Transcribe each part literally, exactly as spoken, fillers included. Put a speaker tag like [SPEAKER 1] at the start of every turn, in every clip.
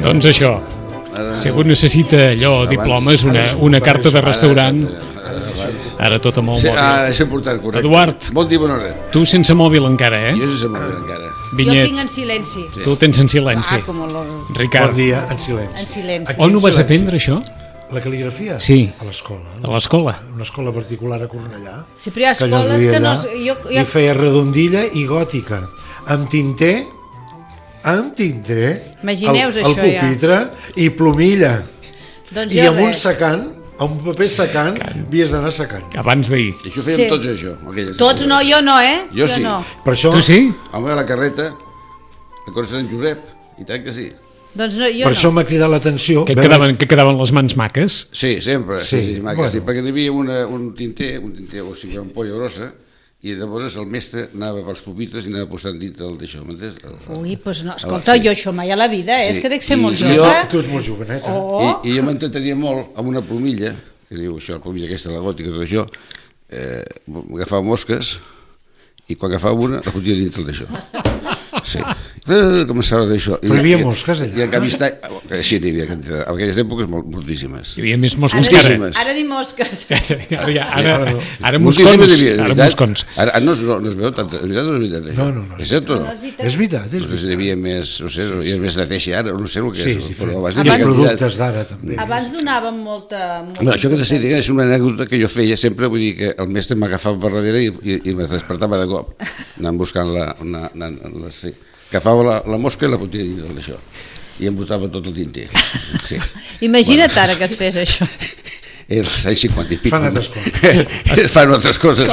[SPEAKER 1] Doncs això, si algú necessita allò, diplomes, una, una carta de restaurant, ara tot amb el mòbil.
[SPEAKER 2] Ara és important, correcte.
[SPEAKER 1] Eduard,
[SPEAKER 2] bon dia, bona hora.
[SPEAKER 1] Tu sense mòbil encara, eh?
[SPEAKER 2] Jo sense mòbil encara.
[SPEAKER 1] Vinyet.
[SPEAKER 3] Jo tinc en silenci.
[SPEAKER 1] Tu tens en silenci.
[SPEAKER 3] Ah, com lo...
[SPEAKER 1] Ricard.
[SPEAKER 4] Bon dia, en silenci.
[SPEAKER 3] En silenci.
[SPEAKER 1] On ho vas aprendre, això?
[SPEAKER 4] La cal·ligrafia?
[SPEAKER 1] Sí.
[SPEAKER 4] A l'escola.
[SPEAKER 1] A l'escola?
[SPEAKER 4] Una escola particular a Cornellà.
[SPEAKER 3] Sí, però hi ha escoles que, que no... Jo, jo...
[SPEAKER 4] I feia redondilla i gòtica. Amb tinter, amb tinter,
[SPEAKER 3] Imagineu-vos
[SPEAKER 4] el, el
[SPEAKER 3] això, ja.
[SPEAKER 4] pupitre i plomilla.
[SPEAKER 3] Doncs
[SPEAKER 4] I
[SPEAKER 3] jo
[SPEAKER 4] amb un
[SPEAKER 3] res.
[SPEAKER 4] secant, amb un paper secant, havies d'anar secant.
[SPEAKER 1] Abans d'ahir.
[SPEAKER 2] I això fèiem
[SPEAKER 3] Sí.
[SPEAKER 2] tots, això. aquelles
[SPEAKER 3] Tots no, jo no, eh?
[SPEAKER 2] Jo sí.
[SPEAKER 3] no.
[SPEAKER 4] Per això,
[SPEAKER 1] Tu sí?
[SPEAKER 2] Home, a la carreta, a Cor Sant Josep, i tant que sí.
[SPEAKER 3] Doncs no, jo
[SPEAKER 4] per
[SPEAKER 3] no.
[SPEAKER 4] això m'ha cridat l'atenció.
[SPEAKER 1] Que
[SPEAKER 4] veure-
[SPEAKER 1] quedaven, que quedaven les mans maques?
[SPEAKER 2] Sí, sempre, sí,
[SPEAKER 4] Sí,
[SPEAKER 2] sí, maca,
[SPEAKER 4] bueno.
[SPEAKER 2] sí, perquè hi havia una, un tinter, un tinter, o sigui, una ampolla grossa, i llavors el mestre anava pels pupitres i anava posant dit el d'això, m'entens? El-
[SPEAKER 3] Ui, doncs no, escolta,
[SPEAKER 2] sí.
[SPEAKER 3] jo això mai a la vida, eh?
[SPEAKER 2] Sí.
[SPEAKER 3] És que dec ser
[SPEAKER 2] I
[SPEAKER 3] molt
[SPEAKER 2] jo-
[SPEAKER 3] jove.
[SPEAKER 4] Tu ets molt joveneta.
[SPEAKER 3] Oh.
[SPEAKER 2] I, i jo m'entretenia molt amb una plomilla, que diu això, la plomilla aquesta, la gòtica, tot això, eh, agafava mosques i quan agafava una la fotia dintre d'això. Sí. Eh, començava d'això.
[SPEAKER 4] Però hi havia mosques allà?
[SPEAKER 2] I en canvi està... Sí, n'hi havia, en aquelles èpoques molt, moltíssimes.
[SPEAKER 1] Hi havia més mosques
[SPEAKER 3] Ara,
[SPEAKER 1] que ara.
[SPEAKER 2] Moltíssimes.
[SPEAKER 3] ara ni mosques.
[SPEAKER 1] Ara, ja- ara, ara
[SPEAKER 2] Moltíssimes
[SPEAKER 1] moscons.
[SPEAKER 2] n'hi havia, de
[SPEAKER 1] Ara
[SPEAKER 2] veritat.
[SPEAKER 1] moscons.
[SPEAKER 2] Ara, ara no, es- no, no es veu tant, de veritat no és veritat això.
[SPEAKER 4] No, no, no.
[SPEAKER 2] És cert o no?
[SPEAKER 3] No és veritat.
[SPEAKER 4] És veritat, és
[SPEAKER 2] No sé si hi
[SPEAKER 4] veritat.
[SPEAKER 2] havia més, no sé, hi havia més neteja ara, no sé el que
[SPEAKER 4] Sí,
[SPEAKER 2] és,
[SPEAKER 4] sí,
[SPEAKER 2] però
[SPEAKER 4] abans
[SPEAKER 2] abans
[SPEAKER 4] hi
[SPEAKER 2] hi
[SPEAKER 4] ha
[SPEAKER 2] havia quantitat.
[SPEAKER 4] productes d'ara també.
[SPEAKER 3] Abans donàvem molta... molta
[SPEAKER 2] Bueno, això que t'estic dient és una anècdota que jo feia sempre, vull dir que el mestre m'agafava per darrere i, i, i me despertava de cop, anant buscant la... Una, anant, la sí. Agafava la, la mosca i la fotia dins d'això i em botava tot el tinter. Sí.
[SPEAKER 3] Imagina't bueno. Ara que es fes això.
[SPEAKER 2] Els anys cinquanta i pico.
[SPEAKER 4] Fan altres coses.
[SPEAKER 2] Fan altres coses.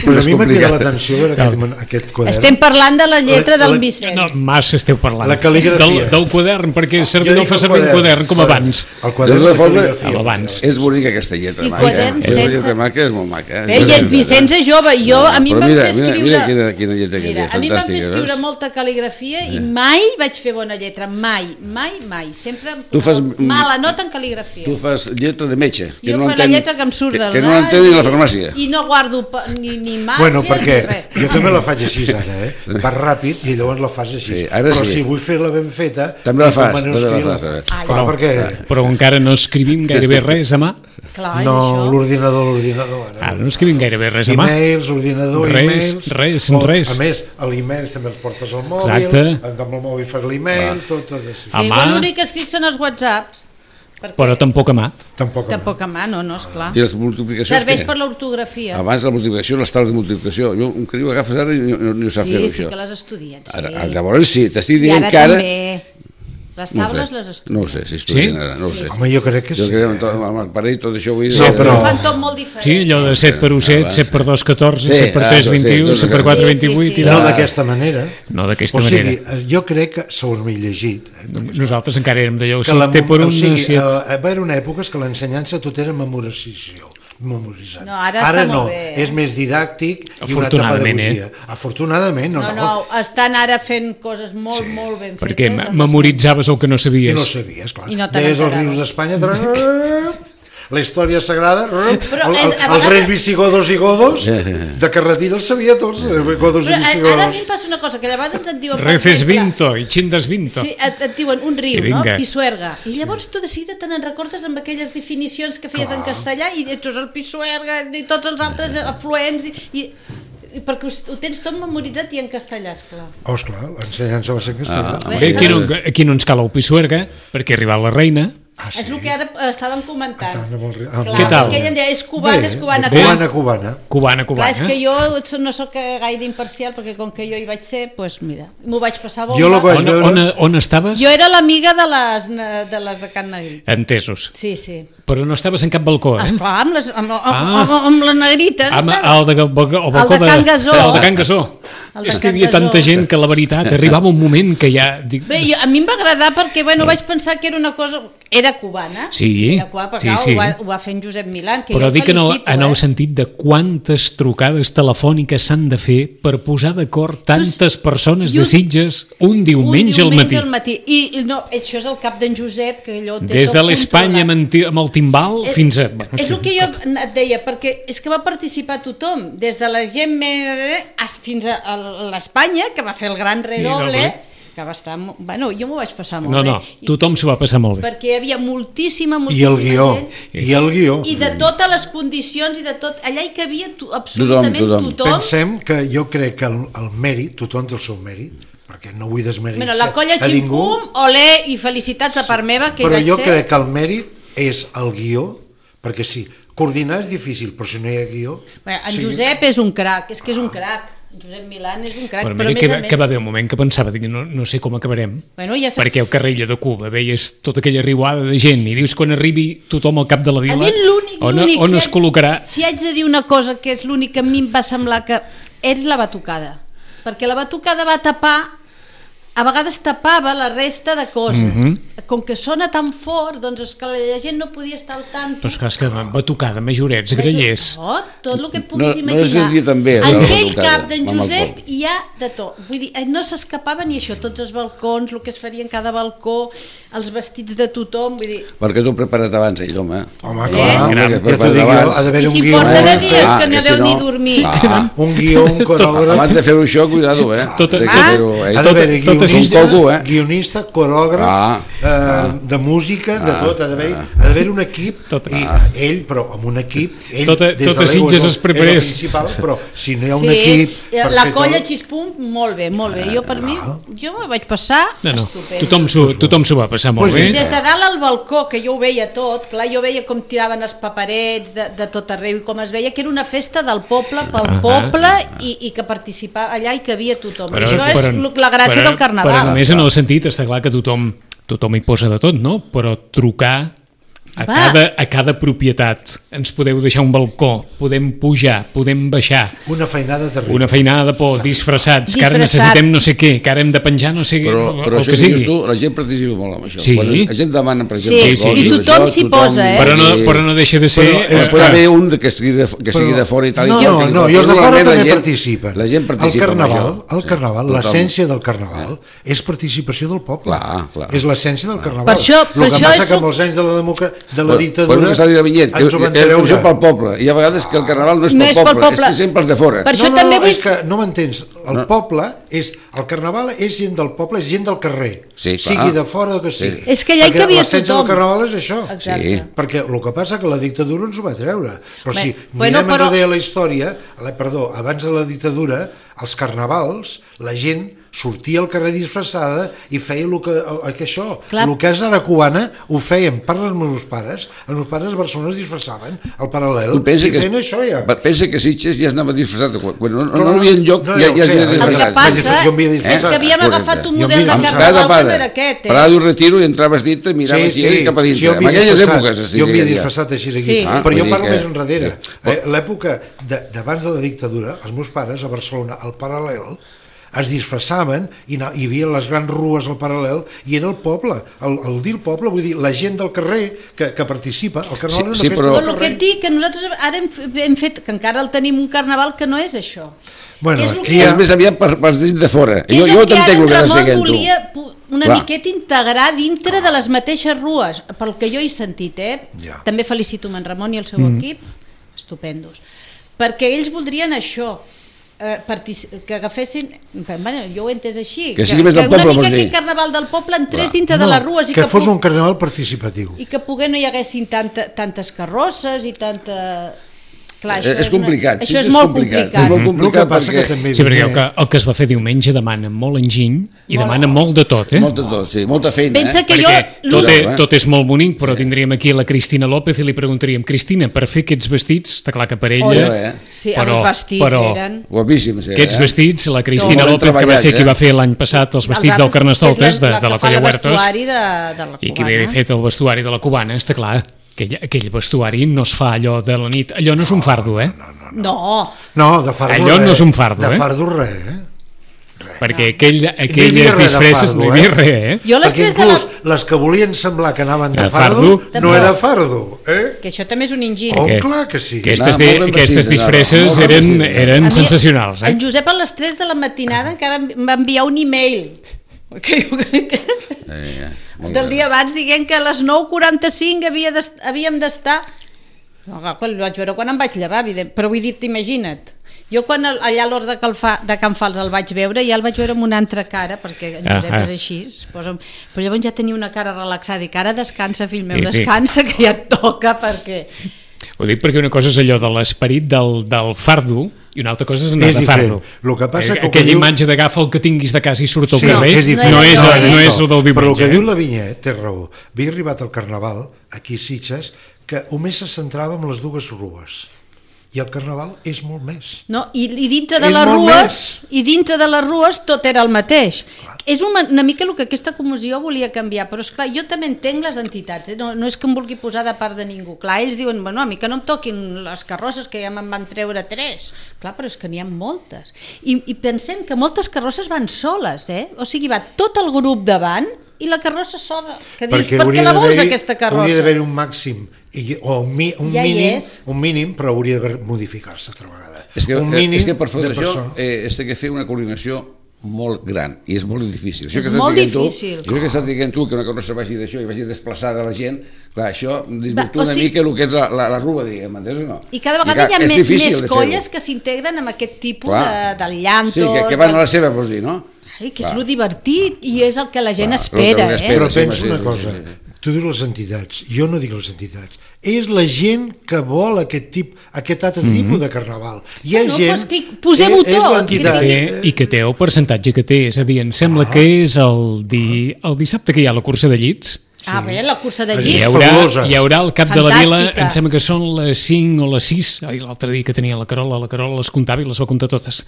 [SPEAKER 4] Però a mi m'ha cridat l'atenció veure aquest, aquest quadern.
[SPEAKER 3] Estem parlant de la lletra
[SPEAKER 4] La-
[SPEAKER 3] del
[SPEAKER 4] la-
[SPEAKER 3] Vicenç.
[SPEAKER 1] No, massa esteu parlant.
[SPEAKER 4] La cal·ligrafia.
[SPEAKER 1] Del, del quadern, perquè
[SPEAKER 4] Jo
[SPEAKER 1] servir no
[SPEAKER 4] dic
[SPEAKER 1] fa
[SPEAKER 4] el
[SPEAKER 1] servir un quadern com
[SPEAKER 4] quadern.
[SPEAKER 1] abans.
[SPEAKER 4] El
[SPEAKER 2] De
[SPEAKER 4] quadern
[SPEAKER 2] tota
[SPEAKER 4] de
[SPEAKER 2] forma,
[SPEAKER 4] cal·ligrafia.
[SPEAKER 1] abans.
[SPEAKER 2] és bonica aquesta lletra
[SPEAKER 3] I
[SPEAKER 2] maca.
[SPEAKER 3] quadern
[SPEAKER 2] És una
[SPEAKER 3] sense-
[SPEAKER 2] lletra maca, és molt maca.
[SPEAKER 3] Bé, i el Vicenç és jove, i jo, a mi em
[SPEAKER 2] Però
[SPEAKER 3] van
[SPEAKER 2] mira,
[SPEAKER 3] fer
[SPEAKER 2] mira,
[SPEAKER 3] escriure...
[SPEAKER 2] mira quina, quina lletra que
[SPEAKER 3] Mira,
[SPEAKER 2] té,
[SPEAKER 3] a mi em van fer
[SPEAKER 2] fantàstica.
[SPEAKER 3] escriure
[SPEAKER 2] veus?
[SPEAKER 3] molta cal·ligrafia i mai vaig fer bona lletra, mai, mai, mai. Sempre
[SPEAKER 2] Tu fas-
[SPEAKER 3] mala nota en cal·ligrafia.
[SPEAKER 2] Tu fas lletra de metge. Que
[SPEAKER 3] Jo
[SPEAKER 2] no
[SPEAKER 3] faig la
[SPEAKER 2] entén-
[SPEAKER 3] lletra que em surt del
[SPEAKER 2] Que, que no
[SPEAKER 3] nas
[SPEAKER 2] entén ni la farmàcia.
[SPEAKER 3] I no guardo pa, ni, ni marge
[SPEAKER 4] Bueno, perquè
[SPEAKER 3] ni res.
[SPEAKER 4] jo també la faig així ara, eh? Vas ràpid i llavors la fas així.
[SPEAKER 2] Sí, ara
[SPEAKER 4] Però
[SPEAKER 2] sí.
[SPEAKER 4] si vull fer-la ben feta...
[SPEAKER 2] També la
[SPEAKER 4] i com
[SPEAKER 2] fas,
[SPEAKER 4] a
[SPEAKER 2] també la
[SPEAKER 4] manuscrit,
[SPEAKER 2] fas, també.
[SPEAKER 3] Ai,
[SPEAKER 4] Clar, perquè
[SPEAKER 1] Però encara no escrivim gairebé res a mà.
[SPEAKER 3] Clar, és
[SPEAKER 4] no,
[SPEAKER 3] això.
[SPEAKER 4] l'ordinador, l'ordinador ara.
[SPEAKER 1] Ara no escrivim gairebé res a mà.
[SPEAKER 4] E-mails, ordinador,
[SPEAKER 1] Res,
[SPEAKER 4] e-mails...
[SPEAKER 1] res,
[SPEAKER 4] o,
[SPEAKER 1] res.
[SPEAKER 4] A més, l'e-mail també els portes al mòbil,
[SPEAKER 1] Exacte.
[SPEAKER 4] amb el mòbil fas l'e-mail, tot, tot així.
[SPEAKER 1] A
[SPEAKER 3] Sí,
[SPEAKER 1] mà.
[SPEAKER 3] bueno, l'únic que escric són els whatsapps. Perquè
[SPEAKER 1] Però tampoc a mà.
[SPEAKER 4] Tampoc.
[SPEAKER 3] tampoc a mà, no, no, esclar.
[SPEAKER 2] I les multiplicacions
[SPEAKER 3] Serveix
[SPEAKER 2] què?
[SPEAKER 3] per l'ortografia.
[SPEAKER 2] Abans la multiplicació, les taules de multiplicació. Jo, un criu agafes ara i no, no, no sap
[SPEAKER 3] Sí,
[SPEAKER 2] fer-ho,
[SPEAKER 3] sí
[SPEAKER 2] això.
[SPEAKER 3] que les estudien, sí.
[SPEAKER 2] Ara, llavors sí, t'estic
[SPEAKER 3] I
[SPEAKER 2] dient
[SPEAKER 3] ara
[SPEAKER 2] que ara...
[SPEAKER 3] també. Les
[SPEAKER 2] No ho
[SPEAKER 3] taules
[SPEAKER 2] sé,
[SPEAKER 3] les estudien.
[SPEAKER 2] no ho sé, si estudien
[SPEAKER 1] Sí?
[SPEAKER 2] ara, no ho sé.
[SPEAKER 4] Home, jo crec que
[SPEAKER 2] Jo
[SPEAKER 4] sí.
[SPEAKER 2] crec que amb tot- amb el parell tot això vull dir...
[SPEAKER 4] Sí, però-
[SPEAKER 3] Ho fan tot molt diferent.
[SPEAKER 1] Sí, allò de set per u set, set per dos catorze,
[SPEAKER 2] Sí,
[SPEAKER 1] set per
[SPEAKER 2] ah,
[SPEAKER 1] tres
[SPEAKER 2] sí,
[SPEAKER 1] vint-i-u,
[SPEAKER 2] tot
[SPEAKER 1] set per
[SPEAKER 2] això.
[SPEAKER 1] quatre
[SPEAKER 3] Sí, sí,
[SPEAKER 1] vint-i-vuit
[SPEAKER 3] sí.
[SPEAKER 1] i
[SPEAKER 4] No
[SPEAKER 1] tal.
[SPEAKER 4] d'aquesta manera.
[SPEAKER 1] No d'aquesta
[SPEAKER 4] O sigui,
[SPEAKER 1] manera.
[SPEAKER 4] jo crec que s'ho m'he llegit. Eh?
[SPEAKER 1] Nosaltres encara érem d'allò,
[SPEAKER 4] Que la,
[SPEAKER 1] si té per
[SPEAKER 4] o
[SPEAKER 1] un...
[SPEAKER 4] sigui,
[SPEAKER 1] si
[SPEAKER 4] eh,
[SPEAKER 1] et-
[SPEAKER 4] va haver una època que l'ensenyança tot era memorització. Memoritzant.
[SPEAKER 3] No, ara està
[SPEAKER 4] no,
[SPEAKER 3] molt bé, eh?
[SPEAKER 4] és més didàctic i una altra
[SPEAKER 1] Afortunadament,
[SPEAKER 4] pedagogia. Afortunadament, no,
[SPEAKER 3] No,
[SPEAKER 4] no.
[SPEAKER 3] no, estan ara fent coses molt, molt ben fetes.
[SPEAKER 1] Perquè
[SPEAKER 3] amb les-
[SPEAKER 1] memoritzaves el que no
[SPEAKER 4] I
[SPEAKER 1] sabies.
[SPEAKER 4] no sabies, clar.
[SPEAKER 3] I no te
[SPEAKER 4] Deies els
[SPEAKER 3] n'enteraves.
[SPEAKER 4] rius d'Espanya, la història sagrada, el,
[SPEAKER 3] Però
[SPEAKER 4] el,
[SPEAKER 3] és- a
[SPEAKER 4] els
[SPEAKER 3] vegades-
[SPEAKER 4] reis visigodos i godos, de carretilla els sabia tots, eh, godos i
[SPEAKER 3] Però a- ara a mi
[SPEAKER 4] visigodos.
[SPEAKER 3] em passa una cosa, que llavors ens en diuen... per
[SPEAKER 1] Reces
[SPEAKER 3] exemple,
[SPEAKER 1] vinto i xindes vinto.
[SPEAKER 3] Sí, et, et diuen un
[SPEAKER 1] I
[SPEAKER 3] riu, no?
[SPEAKER 1] vinga.
[SPEAKER 3] Pisuerga. I llavors tu de seguida te n'en recordes amb aquelles definicions que feies en castellà i tu és el Pisuerga i tots els altres afluents i... i i perquè ho, ho tens tot memoritzat i en castellà, esclar.
[SPEAKER 4] Oh, esclar, l'ensenyança va ser en castellà.
[SPEAKER 2] Ah,
[SPEAKER 1] Bé, aquí no, aquí no ens cal el Pisuerga, perquè ha arribat la reina.
[SPEAKER 4] Ah,
[SPEAKER 3] És el que ara estàvem comentant.
[SPEAKER 4] Ah, molt ri- ah,
[SPEAKER 3] Clar,
[SPEAKER 1] Què tal?
[SPEAKER 3] perquè ella em deia, és cubana, és cubana.
[SPEAKER 4] Bé,
[SPEAKER 3] clar.
[SPEAKER 4] cubana, cubana.
[SPEAKER 1] Cubana,
[SPEAKER 3] Clar,
[SPEAKER 1] cubana.
[SPEAKER 3] és que jo no sóc gaire imparcial, perquè com que jo hi vaig ser, doncs mira, m'ho vaig passar bomba.
[SPEAKER 4] Jo la vaig
[SPEAKER 1] On,
[SPEAKER 4] veure...
[SPEAKER 1] on, on estaves?
[SPEAKER 3] Jo era l'amiga de les de les de Can Negrit.
[SPEAKER 1] Entesos.
[SPEAKER 3] Sí, sí.
[SPEAKER 1] Però no estaves en cap balcó, eh?
[SPEAKER 3] Esclar, amb les, amb, amb,
[SPEAKER 1] Ah.
[SPEAKER 3] amb, amb les negrites.
[SPEAKER 1] Amb
[SPEAKER 3] estava.
[SPEAKER 1] el de, el balcó
[SPEAKER 3] El de Can Gasó.
[SPEAKER 1] El de Can Gasó.
[SPEAKER 3] El de
[SPEAKER 1] És que hi
[SPEAKER 3] Can
[SPEAKER 1] havia
[SPEAKER 3] Gasó.
[SPEAKER 1] tanta gent que la veritat arribava un moment que ja... Dic,
[SPEAKER 3] Bé, jo, a mi em va agradar perquè bueno, vaig pensar que era una cosa... Era era cubana.
[SPEAKER 1] Sí,
[SPEAKER 3] era cubana, però
[SPEAKER 1] sí,
[SPEAKER 3] clar,
[SPEAKER 1] sí.
[SPEAKER 3] Ho, va, ho va fer en Josep Milán, que
[SPEAKER 1] però
[SPEAKER 3] jo
[SPEAKER 1] dic en el,
[SPEAKER 3] felicito,
[SPEAKER 1] en el
[SPEAKER 3] eh?
[SPEAKER 1] sentit de quantes trucades telefòniques s'han de fer per posar d'acord tantes persones de Sitges un diumenge,
[SPEAKER 3] un diumenge
[SPEAKER 1] al matí.
[SPEAKER 3] al matí. I no, això és el cap d'en Josep, que allò té
[SPEAKER 1] Des
[SPEAKER 3] tot
[SPEAKER 1] de l'Espanya amb
[SPEAKER 3] controlat.
[SPEAKER 1] el timbal
[SPEAKER 3] Eh,
[SPEAKER 1] fins a... Bueno,
[SPEAKER 3] és el que jo et deia, perquè és que va participar tothom, des de la gent més fins a l'Espanya, que va fer el gran redoble, que va estar... Bueno, jo m'ho vaig passar molt
[SPEAKER 1] no,
[SPEAKER 3] bé.
[SPEAKER 1] no, tothom s'ho va passar molt bé.
[SPEAKER 3] Perquè hi havia moltíssima,
[SPEAKER 4] I
[SPEAKER 3] moltíssima
[SPEAKER 4] el guió,
[SPEAKER 3] gent.
[SPEAKER 4] i el guió.
[SPEAKER 3] I de totes les condicions i de tot... Allà hi cabia to, absolutament tothom.
[SPEAKER 2] Tothom,
[SPEAKER 3] tothom.
[SPEAKER 4] Pensem que jo crec que el, el mèrit, tothom té el seu mèrit, perquè no vull desmeritar
[SPEAKER 3] Bueno, la colla
[SPEAKER 4] a ningú,
[SPEAKER 3] Ximpum, olé i felicitats de part meva, que hi
[SPEAKER 4] però
[SPEAKER 3] vaig
[SPEAKER 4] jo
[SPEAKER 3] ser.
[SPEAKER 4] crec que el mèrit és el guió, perquè sí, coordinar és difícil, però si no hi ha guió...
[SPEAKER 3] Bueno, en
[SPEAKER 4] sí.
[SPEAKER 3] Josep és un crac, és que és un crac. En Josep Milán és un crac,
[SPEAKER 1] Però,
[SPEAKER 3] però,
[SPEAKER 1] mira,
[SPEAKER 3] a més
[SPEAKER 1] que,
[SPEAKER 3] a
[SPEAKER 1] va,
[SPEAKER 3] més...
[SPEAKER 1] que va haver un moment que pensava, dic, no, no sé com acabarem,
[SPEAKER 3] Bueno, ja saps...
[SPEAKER 1] perquè al carrer de Cuba veies tota aquella riuada de gent i dius quan arribi tothom al cap de la
[SPEAKER 3] A
[SPEAKER 1] vila
[SPEAKER 3] mi l'únic,
[SPEAKER 1] on,
[SPEAKER 3] l'únic,
[SPEAKER 1] on
[SPEAKER 3] si
[SPEAKER 1] es
[SPEAKER 3] haig-
[SPEAKER 1] col·locarà.
[SPEAKER 3] Si haig de dir una cosa que és l'únic que a mi em va semblar que és la batucada, perquè la batucada va tapar, a vegades tapava la resta de coses.
[SPEAKER 1] Mhm.
[SPEAKER 3] Com que sona tan fort, doncs és que la gent no podia estar al tanto.
[SPEAKER 1] Doncs clar, és que va tocada, majorets, grellers.
[SPEAKER 3] Oh, tot el que puguis
[SPEAKER 2] No- no
[SPEAKER 3] imaginar.
[SPEAKER 2] es sentia tan bé,
[SPEAKER 3] en
[SPEAKER 2] la
[SPEAKER 3] aquell
[SPEAKER 2] batucada,
[SPEAKER 3] cap d'en
[SPEAKER 2] amb el
[SPEAKER 3] Josep
[SPEAKER 2] cor.
[SPEAKER 3] hi ha de tot. Vull dir, eh, no s'escapava ni això, tots els balcons, el que es faria en cada balcó, els vestits de tothom, vull dir...
[SPEAKER 2] Perquè t'ho he preparat abans, ell, home.
[SPEAKER 4] Home,
[SPEAKER 3] Eh?
[SPEAKER 4] clar,
[SPEAKER 2] Home,
[SPEAKER 4] ja
[SPEAKER 2] que
[SPEAKER 4] t'ho
[SPEAKER 2] preparat
[SPEAKER 4] dic jo,
[SPEAKER 2] abans.
[SPEAKER 4] ha d'haver
[SPEAKER 3] I
[SPEAKER 4] un
[SPEAKER 3] si
[SPEAKER 4] guió.
[SPEAKER 3] porta de
[SPEAKER 4] eh?
[SPEAKER 3] dies
[SPEAKER 2] Ah,
[SPEAKER 3] que no
[SPEAKER 2] que si
[SPEAKER 3] deu ni
[SPEAKER 2] no-
[SPEAKER 3] dormir.
[SPEAKER 2] Ah.
[SPEAKER 4] Un guió, un corògraf...
[SPEAKER 2] Abans de fer-ho això, cuidado, eh?
[SPEAKER 1] Tot-
[SPEAKER 2] Té que
[SPEAKER 3] Ah.
[SPEAKER 2] fer-ho, eh?
[SPEAKER 4] Ha d'haver
[SPEAKER 1] tot- tot
[SPEAKER 4] guionista,
[SPEAKER 2] un coco, eh?
[SPEAKER 4] guionista, corògraf,
[SPEAKER 2] Ah.
[SPEAKER 4] eh, de música, de tot, ha d'haver ha d'haver un equip,
[SPEAKER 1] Tot-
[SPEAKER 4] i ell, però amb un equip, ell
[SPEAKER 1] Tota-
[SPEAKER 4] des de
[SPEAKER 1] tota
[SPEAKER 4] l'ego
[SPEAKER 1] Sitges
[SPEAKER 4] és el-
[SPEAKER 1] es preparés.
[SPEAKER 4] és el principal, però si no hi ha un
[SPEAKER 3] Sí,
[SPEAKER 4] equip... per
[SPEAKER 3] la
[SPEAKER 4] fer
[SPEAKER 3] colla
[SPEAKER 4] tot-
[SPEAKER 3] Xispum, molt bé, molt bé. Jo per mi, jo me vaig passar
[SPEAKER 1] No, no,
[SPEAKER 3] estupendo.
[SPEAKER 1] tothom s'ho tothom s'ho va passar molt
[SPEAKER 4] Pues
[SPEAKER 1] bé.
[SPEAKER 3] Des de dalt al balcó, que jo ho veia tot, clar, jo veia com tiraven els paperets de, de tot arreu i com es veia que era una festa del poble, pel
[SPEAKER 1] Ah.
[SPEAKER 3] poble i, i que participava allà i que havia tothom.
[SPEAKER 1] Però-
[SPEAKER 3] Això és
[SPEAKER 1] però-
[SPEAKER 3] lo- la gràcia
[SPEAKER 1] però-
[SPEAKER 3] del carnaval.
[SPEAKER 1] Però només en el sentit, està clar que tothom, tothom hi posa de tot, no? Però trucar a
[SPEAKER 3] Va.
[SPEAKER 1] cada, a cada propietat. Ens podeu deixar un balcó, podem pujar, podem baixar.
[SPEAKER 4] Una feinada terrible.
[SPEAKER 1] Una feinada de por, disfressats, que ara
[SPEAKER 3] Disfressat.
[SPEAKER 1] necessitem no sé què, que ara hem de penjar no sé què,
[SPEAKER 2] Però, però
[SPEAKER 1] el
[SPEAKER 2] això
[SPEAKER 1] que
[SPEAKER 2] que dius
[SPEAKER 1] sigui.
[SPEAKER 2] tu, la gent participa molt amb això.
[SPEAKER 1] Sí.
[SPEAKER 2] Quan la gent demana, per
[SPEAKER 3] Sí,
[SPEAKER 2] exemple...
[SPEAKER 1] sí,
[SPEAKER 2] vols,
[SPEAKER 1] i
[SPEAKER 3] tothom
[SPEAKER 2] això,
[SPEAKER 3] s'hi posa, eh?
[SPEAKER 1] Però no,
[SPEAKER 2] Sí.
[SPEAKER 1] però no deixa de ser...
[SPEAKER 4] Però
[SPEAKER 2] Es
[SPEAKER 1] eh,
[SPEAKER 2] pot
[SPEAKER 1] eh,
[SPEAKER 2] haver un que, estigui de, que sigui
[SPEAKER 4] Però-
[SPEAKER 2] de fora i tal.
[SPEAKER 4] No,
[SPEAKER 2] i tal,
[SPEAKER 4] no,
[SPEAKER 2] perquè
[SPEAKER 4] no, i els de fora
[SPEAKER 2] normalment la
[SPEAKER 4] també
[SPEAKER 2] gent-
[SPEAKER 4] participen.
[SPEAKER 2] La gent participa
[SPEAKER 4] el carnaval,
[SPEAKER 2] amb això.
[SPEAKER 4] el carnaval,
[SPEAKER 2] Sí,
[SPEAKER 4] l'essència del carnaval és participació del poble.
[SPEAKER 2] Clar, clar.
[SPEAKER 4] És l'essència del carnaval.
[SPEAKER 3] Per això- per
[SPEAKER 4] el que
[SPEAKER 3] això
[SPEAKER 4] passa
[SPEAKER 3] és
[SPEAKER 4] que amb
[SPEAKER 3] lo-
[SPEAKER 4] els anys de la, democra... de la
[SPEAKER 2] Bueno,
[SPEAKER 4] dictadura
[SPEAKER 2] bueno, que s'ha dit a Vinyet, que
[SPEAKER 4] ens ho van
[SPEAKER 2] és
[SPEAKER 4] treure.
[SPEAKER 2] això pel poble, i a vegades que el carnaval no és
[SPEAKER 3] No
[SPEAKER 2] pel
[SPEAKER 3] és pel
[SPEAKER 2] poble, és
[SPEAKER 3] poble.
[SPEAKER 2] que sempre els de fora.
[SPEAKER 3] Per
[SPEAKER 4] No,
[SPEAKER 3] això
[SPEAKER 4] no,
[SPEAKER 3] també
[SPEAKER 4] no,
[SPEAKER 3] vull...
[SPEAKER 4] és que no m'entens. El
[SPEAKER 2] No.
[SPEAKER 4] poble és... El carnaval és gent del poble, és gent del carrer.
[SPEAKER 2] Sí, clar.
[SPEAKER 4] sigui de fora o que sigui.
[SPEAKER 2] Sí.
[SPEAKER 3] És que allà hi
[SPEAKER 4] Perquè
[SPEAKER 3] cabia
[SPEAKER 4] l'essència
[SPEAKER 3] tothom.
[SPEAKER 4] del carnaval és això.
[SPEAKER 3] Exacte.
[SPEAKER 2] Sí.
[SPEAKER 4] Perquè el que passa que la dictadura ens ho va treure. Però
[SPEAKER 3] Bé,
[SPEAKER 4] si
[SPEAKER 3] bueno,
[SPEAKER 4] mirem
[SPEAKER 3] però-
[SPEAKER 4] enrere la història, la- perdó, abans de la dictadura, els carnavals, la gent sortia al carrer disfressada i feia el que, el, que això.
[SPEAKER 3] Clar.
[SPEAKER 4] El que és ara cubana ho feien per als meus pares. Els meus pares a Barcelona es disfressaven al paral·lel
[SPEAKER 2] I pensa
[SPEAKER 4] i
[SPEAKER 2] que,
[SPEAKER 4] feien això ja.
[SPEAKER 2] pensa que Sitges ja anava disfressat. Quan, quan no, no,
[SPEAKER 4] Clar.
[SPEAKER 2] no hi havia lloc,
[SPEAKER 4] No,
[SPEAKER 2] ja,
[SPEAKER 4] ja ho
[SPEAKER 2] ja,
[SPEAKER 4] sé,
[SPEAKER 2] ja,
[SPEAKER 4] el
[SPEAKER 2] ja,
[SPEAKER 3] El que
[SPEAKER 2] ja,
[SPEAKER 3] passa
[SPEAKER 4] Jo em havia
[SPEAKER 3] és
[SPEAKER 4] disfressat.
[SPEAKER 3] que havíem
[SPEAKER 2] Correcte.
[SPEAKER 3] agafat un
[SPEAKER 4] Jo em
[SPEAKER 3] model de
[SPEAKER 4] havia
[SPEAKER 2] amb
[SPEAKER 3] carnaval
[SPEAKER 2] cada
[SPEAKER 3] que no era
[SPEAKER 2] pada,
[SPEAKER 3] aquest, eh?
[SPEAKER 2] parada d'un retiro i entraves dintre, miraves sí, sí. cap a dintre.
[SPEAKER 4] Sí, jo
[SPEAKER 2] En
[SPEAKER 4] m'hi havia
[SPEAKER 2] aquelles
[SPEAKER 4] disfressat,
[SPEAKER 2] èpoques. es
[SPEAKER 4] jo m'hi havia
[SPEAKER 2] diria.
[SPEAKER 4] disfressat així aquí.
[SPEAKER 3] Sí.
[SPEAKER 2] Ah,
[SPEAKER 4] Però jo
[SPEAKER 2] vull dir
[SPEAKER 4] parlo
[SPEAKER 2] que-
[SPEAKER 4] més enrere.
[SPEAKER 2] que-
[SPEAKER 4] Eh, L'època de- d'abans de la dictadura, els meus pares a Barcelona, al paral·lel, es disfressaven i na- hi havia les grans rues al paral·lel i era el poble, el, el dir poble, vull dir, la gent del carrer que, que participa. El carnaval
[SPEAKER 2] Sí,
[SPEAKER 4] és una
[SPEAKER 2] sí,
[SPEAKER 4] festa
[SPEAKER 2] però-
[SPEAKER 4] del
[SPEAKER 3] Però el que
[SPEAKER 4] carrer.
[SPEAKER 3] et dic, que nosaltres ara hem, f- hem fet, que encara el tenim un carnaval que no és això.
[SPEAKER 4] Bueno,
[SPEAKER 3] és el
[SPEAKER 4] aquí
[SPEAKER 3] que,
[SPEAKER 2] És més aviat per, per gent de fora.
[SPEAKER 3] que
[SPEAKER 2] Jo,
[SPEAKER 3] és
[SPEAKER 2] jo
[SPEAKER 3] el que ara
[SPEAKER 2] t'entenc el
[SPEAKER 3] en
[SPEAKER 2] que estàs
[SPEAKER 3] Ramon
[SPEAKER 2] dient tu.
[SPEAKER 3] volia pu- una
[SPEAKER 2] Clar.
[SPEAKER 3] miqueta integrar dintre de les mateixes rues, pel que jo he sentit, eh?
[SPEAKER 4] Ja.
[SPEAKER 3] També felicito en Ramon i el seu mm. equip, estupendos, perquè ells voldrien això, eh, partici- que agafessin, bueno, jo ho he entès així,
[SPEAKER 2] Que sigui més del
[SPEAKER 3] una
[SPEAKER 2] poble,
[SPEAKER 3] mica
[SPEAKER 2] vols dir?
[SPEAKER 3] aquest carnaval del poble entrés
[SPEAKER 2] Clar.
[SPEAKER 3] dintre de les rues i
[SPEAKER 4] que
[SPEAKER 3] que,
[SPEAKER 4] fos
[SPEAKER 3] pu-
[SPEAKER 4] un carnaval participatiu.
[SPEAKER 3] i que poder no hi haguessin tanta, tantes carrosses i tanta... Clar,
[SPEAKER 2] Eh, és
[SPEAKER 3] una-
[SPEAKER 2] complicat, sí
[SPEAKER 3] Això
[SPEAKER 2] que
[SPEAKER 3] és
[SPEAKER 2] és
[SPEAKER 3] molt
[SPEAKER 2] complicat,
[SPEAKER 3] complicat.
[SPEAKER 2] és molt
[SPEAKER 4] El que
[SPEAKER 2] complicat
[SPEAKER 4] passa
[SPEAKER 2] perquè...
[SPEAKER 4] que també
[SPEAKER 1] Sí, perquè el
[SPEAKER 4] viene-
[SPEAKER 1] que, el que es va fer diumenge demana molt enginy i demana molt de tot, eh?
[SPEAKER 2] Molt de tot, sí, molta feina.
[SPEAKER 3] Pensa
[SPEAKER 2] eh?
[SPEAKER 3] que
[SPEAKER 1] Perquè
[SPEAKER 3] jo...
[SPEAKER 1] tot,
[SPEAKER 2] l'únic-
[SPEAKER 1] és, tot és molt bonic, però tindríem aquí la Cristina López i li preguntaríem, Cristina, per fer aquests vestits, està clar que per ella...
[SPEAKER 2] Oi, eh?
[SPEAKER 3] Sí,
[SPEAKER 1] però,
[SPEAKER 3] els vestits
[SPEAKER 1] però,
[SPEAKER 3] eren...
[SPEAKER 2] Guapíssims, eh?
[SPEAKER 1] Aquests vestits, la Cristina
[SPEAKER 2] Molt ben
[SPEAKER 1] López, que va ser
[SPEAKER 2] treballats,
[SPEAKER 1] qui
[SPEAKER 2] eh?
[SPEAKER 1] va fer l'any passat els vestits
[SPEAKER 3] Els
[SPEAKER 1] del
[SPEAKER 3] altres,
[SPEAKER 1] Carnestoltes,
[SPEAKER 3] és
[SPEAKER 1] de,
[SPEAKER 3] la,
[SPEAKER 1] de la
[SPEAKER 3] que fa
[SPEAKER 1] colla
[SPEAKER 3] el
[SPEAKER 1] Huertos,
[SPEAKER 3] vestuari de, de la
[SPEAKER 1] i qui
[SPEAKER 3] cubana.
[SPEAKER 1] havia fet el vestuari de la cubana, està clar, aquell, aquell vestuari no es fa allò de la nit, allò no és un fardo, eh?
[SPEAKER 3] No,
[SPEAKER 4] No, de fardo
[SPEAKER 1] Allò
[SPEAKER 4] res.
[SPEAKER 1] no és un fardo,
[SPEAKER 4] de
[SPEAKER 1] eh?
[SPEAKER 4] fardo res, eh?
[SPEAKER 1] perquè aquell,
[SPEAKER 4] No hi
[SPEAKER 1] aquelles
[SPEAKER 4] havia res de
[SPEAKER 1] disfresses
[SPEAKER 4] fardo,
[SPEAKER 1] no hi havia
[SPEAKER 4] eh?
[SPEAKER 1] res, eh?
[SPEAKER 3] Jo les
[SPEAKER 4] Perquè
[SPEAKER 3] tres de la...
[SPEAKER 4] inclús les que volien semblar que anaven de
[SPEAKER 1] Era
[SPEAKER 4] fardo,
[SPEAKER 1] fardo.
[SPEAKER 4] no era fardo, eh?
[SPEAKER 3] Que això també és un enginy.
[SPEAKER 4] Oh,
[SPEAKER 1] Que-
[SPEAKER 4] clar que sí.
[SPEAKER 1] Aquestes,
[SPEAKER 2] Anava molt ben
[SPEAKER 1] aquestes
[SPEAKER 2] vestit, anava
[SPEAKER 1] disfresses
[SPEAKER 2] molt ben
[SPEAKER 1] eren,
[SPEAKER 2] vestit.
[SPEAKER 1] eren
[SPEAKER 3] A mi,
[SPEAKER 1] sensacionals, eh?
[SPEAKER 3] En Josep a les tres de la matinada encara em va enviar un e-mail que, que,
[SPEAKER 2] Eh, molt
[SPEAKER 3] del
[SPEAKER 2] bé.
[SPEAKER 3] dia abans dient que a les nou quaranta-cinc havia d'est- havíem d'estar. No, quan el vaig veure quan em vaig llevar, evident, però vull dir-te, imagina't. Jo quan el- allà a l'hora de, Calfa, de Can Fals el vaig veure, ja el vaig veure amb una altra cara, perquè en Josep
[SPEAKER 1] Ah, ah.
[SPEAKER 3] és així, es posa... però llavors ja tenia una cara relaxada i que ara descansa, fill meu,
[SPEAKER 1] Sí, sí.
[SPEAKER 3] descansa, que ja et toca, perquè...
[SPEAKER 1] Ho dic perquè una cosa és allò de l'esperit del, del fardo i una altra cosa és anar
[SPEAKER 4] És
[SPEAKER 1] de
[SPEAKER 4] diferent.
[SPEAKER 1] fardo.
[SPEAKER 4] Lo que passa
[SPEAKER 1] Eh,
[SPEAKER 4] que el
[SPEAKER 1] Aquella
[SPEAKER 4] que diu-
[SPEAKER 1] imatge d'agafa el que tinguis de casa i surt al
[SPEAKER 4] Sí,
[SPEAKER 1] carrer
[SPEAKER 4] que és diferent.
[SPEAKER 1] no, és,
[SPEAKER 3] No,
[SPEAKER 1] el, no és el del
[SPEAKER 4] Però el
[SPEAKER 1] diumenge.
[SPEAKER 4] que diu
[SPEAKER 1] eh?
[SPEAKER 4] la Vinyet té raó. Havia arribat al Carnaval, aquí a Sitges, que només se centrava en les dues rues. I el Carnaval és molt més.
[SPEAKER 3] No, i, i dintre de
[SPEAKER 4] És
[SPEAKER 3] les
[SPEAKER 4] molt
[SPEAKER 3] rues
[SPEAKER 4] més.
[SPEAKER 3] i dintre de les rues tot era el mateix. És una, una mica el que aquesta comissió volia canviar, però és clar, jo també entenc les entitats, eh? no, no és que em vulgui posar de part de ningú. Clar, ells diuen, bueno, a mi que no em toquin les carrosses, que ja me'n van treure tres. Clar, però és que n'hi ha moltes. I, I pensem que moltes carrosses van soles, eh? O sigui, va tot el grup davant i la carrossa sola. Que dius, per què la vols, aquesta carrossa?
[SPEAKER 4] Hauria d'haver un màxim i, o un, mi, un,
[SPEAKER 3] Ja hi
[SPEAKER 4] mínim,
[SPEAKER 3] és.
[SPEAKER 4] un mínim, però hauria d'haver modificar-se altra vegada.
[SPEAKER 2] És que,
[SPEAKER 4] un
[SPEAKER 2] eh,
[SPEAKER 4] mínim
[SPEAKER 2] és que per fer
[SPEAKER 4] de
[SPEAKER 2] això
[SPEAKER 4] persona.
[SPEAKER 2] eh, es té que fer una coordinació molt gran i és molt difícil. Això
[SPEAKER 3] És
[SPEAKER 2] que estàs
[SPEAKER 3] molt
[SPEAKER 2] dient
[SPEAKER 3] difícil.
[SPEAKER 2] Tu, jo que estàs dient tu que una carrossa vagi d'això i vagi desplaçada la gent, clar, això desvirtua
[SPEAKER 3] Va, o
[SPEAKER 2] una
[SPEAKER 3] sigui-
[SPEAKER 2] mica el que és la, la, la rua, diguem, m'entens o no?
[SPEAKER 3] I cada vegada
[SPEAKER 2] clar,
[SPEAKER 3] hi ha
[SPEAKER 2] és
[SPEAKER 3] més,
[SPEAKER 2] difícil
[SPEAKER 3] més
[SPEAKER 2] de
[SPEAKER 3] colles
[SPEAKER 2] fer-ho.
[SPEAKER 3] que s'integren amb aquest tipus
[SPEAKER 2] Clar.
[SPEAKER 3] de, del llantos...
[SPEAKER 2] Sí, que, que van a
[SPEAKER 3] del-
[SPEAKER 2] la seva, vols dir, no?
[SPEAKER 3] Ai, que és
[SPEAKER 2] Clar.
[SPEAKER 3] lo divertit i és el que la gent
[SPEAKER 2] Clar,
[SPEAKER 3] espera,
[SPEAKER 2] el que
[SPEAKER 3] eh?
[SPEAKER 2] espera.
[SPEAKER 4] Però
[SPEAKER 2] sí,
[SPEAKER 4] pensa
[SPEAKER 2] sí,
[SPEAKER 4] una
[SPEAKER 2] sí,
[SPEAKER 4] cosa,
[SPEAKER 2] sí, sí.
[SPEAKER 4] tu dius les entitats, jo no dic les entitats, és la gent que vol aquest, tip, aquest altre tipus de carnaval. Hi ha
[SPEAKER 3] Bueno,
[SPEAKER 4] gent...
[SPEAKER 3] doncs que posem-ho
[SPEAKER 4] és
[SPEAKER 3] tot,
[SPEAKER 4] l'entitat.
[SPEAKER 3] que
[SPEAKER 1] Té, I que té el percentatge que té, és a dir, em sembla
[SPEAKER 4] Ah.
[SPEAKER 1] que és el, di, el dissabte que hi ha la cursa de llits,
[SPEAKER 3] Ah, bé, la cursa de
[SPEAKER 4] Sí.
[SPEAKER 1] hi
[SPEAKER 3] llits.
[SPEAKER 1] haurà,
[SPEAKER 4] fabulosa.
[SPEAKER 1] hi haurà al cap de la vila,
[SPEAKER 3] Fantàstica.
[SPEAKER 1] em sembla que són les cinc o les sis, ai, l'altre dia que tenia la Carola, la Carola les comptava i les va comptar totes.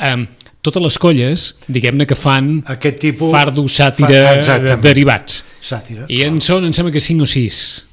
[SPEAKER 1] Um, totes les colles, diguem-ne que fan
[SPEAKER 4] Aquest tipus...
[SPEAKER 1] fardo,
[SPEAKER 4] Fa-
[SPEAKER 1] sàtira,
[SPEAKER 4] exactament.
[SPEAKER 1] de, derivats.
[SPEAKER 4] Sàtira.
[SPEAKER 1] I en són, em sembla que cinc o sis,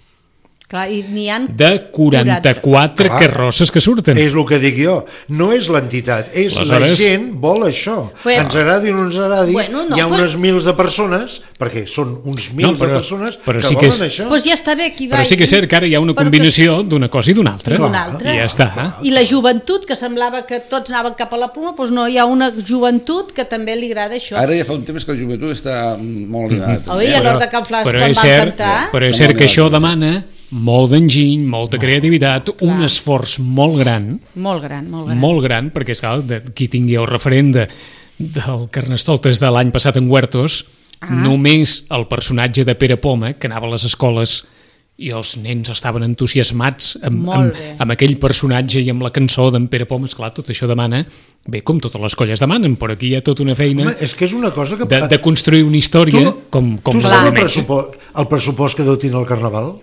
[SPEAKER 3] Clar, i n'hi ha...
[SPEAKER 1] de quaranta-quatre
[SPEAKER 4] Clar.
[SPEAKER 1] carrosses que surten.
[SPEAKER 4] És el que dic jo, no és l'entitat, és
[SPEAKER 1] Aleshores-
[SPEAKER 4] la gent vol això.
[SPEAKER 3] Bueno.
[SPEAKER 4] Ens agradi o no ens agradi,
[SPEAKER 3] Bueno, no,
[SPEAKER 4] hi ha
[SPEAKER 3] però-
[SPEAKER 4] unes mils de persones, perquè són uns mils
[SPEAKER 1] No, però-
[SPEAKER 4] de persones
[SPEAKER 1] però
[SPEAKER 4] que
[SPEAKER 1] sí que
[SPEAKER 4] volen
[SPEAKER 1] és-
[SPEAKER 4] això.
[SPEAKER 3] Doncs pues ja està bé, aquí va.
[SPEAKER 1] Però sí que és cert que ara hi ha una
[SPEAKER 3] Però
[SPEAKER 1] combinació d'una cosa i d'una altra.
[SPEAKER 3] I d'una altra.
[SPEAKER 1] I ja està.
[SPEAKER 3] I la joventut, que semblava que tots anaven cap a la pluma, doncs no, hi ha una joventut que també li agrada això.
[SPEAKER 2] Ara ja fa un temps que la joventut està molt animada.
[SPEAKER 3] Oi,
[SPEAKER 2] també,
[SPEAKER 3] a
[SPEAKER 2] eh?
[SPEAKER 3] l'hora de Can Flas,
[SPEAKER 1] però
[SPEAKER 3] quan
[SPEAKER 1] és
[SPEAKER 3] van
[SPEAKER 1] cert,
[SPEAKER 3] cantar...
[SPEAKER 1] però és
[SPEAKER 2] Està
[SPEAKER 1] cert
[SPEAKER 2] molt
[SPEAKER 1] que això
[SPEAKER 2] animat.
[SPEAKER 1] demana molt d'enginy, molta creativitat, un esforç molt gran,
[SPEAKER 3] Molt gran, molt gran.
[SPEAKER 1] molt gran, perquè és clar, de, qui tingui el referent de, del Carnestoltes de l'any passat en Huertos,
[SPEAKER 3] Ah.
[SPEAKER 1] només el personatge de Pere Poma, que anava a les escoles i els nens estaven entusiasmats amb,
[SPEAKER 3] Molt
[SPEAKER 1] amb,
[SPEAKER 3] bé.
[SPEAKER 1] amb aquell personatge i amb la cançó d'en Pere Poma, esclar, tot això demana, bé, com totes les colles demanen, però aquí hi ha tota una feina
[SPEAKER 4] Home, és que és una cosa que...
[SPEAKER 1] de, de construir una història com, com
[SPEAKER 4] tu
[SPEAKER 1] la
[SPEAKER 4] saps el
[SPEAKER 1] diumenge.
[SPEAKER 4] pressupost, el pressupost que deu tenir el Carnaval?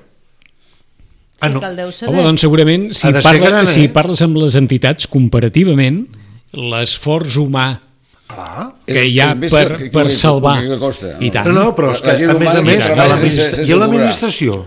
[SPEAKER 3] Sí, que el deu saber.
[SPEAKER 1] Home, doncs segurament, si,
[SPEAKER 4] Ha de ser
[SPEAKER 1] parla,
[SPEAKER 4] gran, eh?
[SPEAKER 1] si parles amb les entitats, comparativament, l'esforç humà
[SPEAKER 4] Clar.
[SPEAKER 1] que
[SPEAKER 2] És-
[SPEAKER 1] hi ha
[SPEAKER 2] és més
[SPEAKER 1] per,
[SPEAKER 2] que- que-
[SPEAKER 1] per
[SPEAKER 2] que-
[SPEAKER 1] salvar,
[SPEAKER 2] que costa,
[SPEAKER 1] i
[SPEAKER 2] no?
[SPEAKER 1] tant.
[SPEAKER 4] No, no, però és
[SPEAKER 2] La
[SPEAKER 4] que,
[SPEAKER 2] gent
[SPEAKER 4] a més a
[SPEAKER 2] humana
[SPEAKER 4] més,
[SPEAKER 2] que
[SPEAKER 4] a
[SPEAKER 2] treballa
[SPEAKER 4] l'administra-
[SPEAKER 2] sense- sense
[SPEAKER 4] i a
[SPEAKER 2] cobrar.
[SPEAKER 4] l'administració,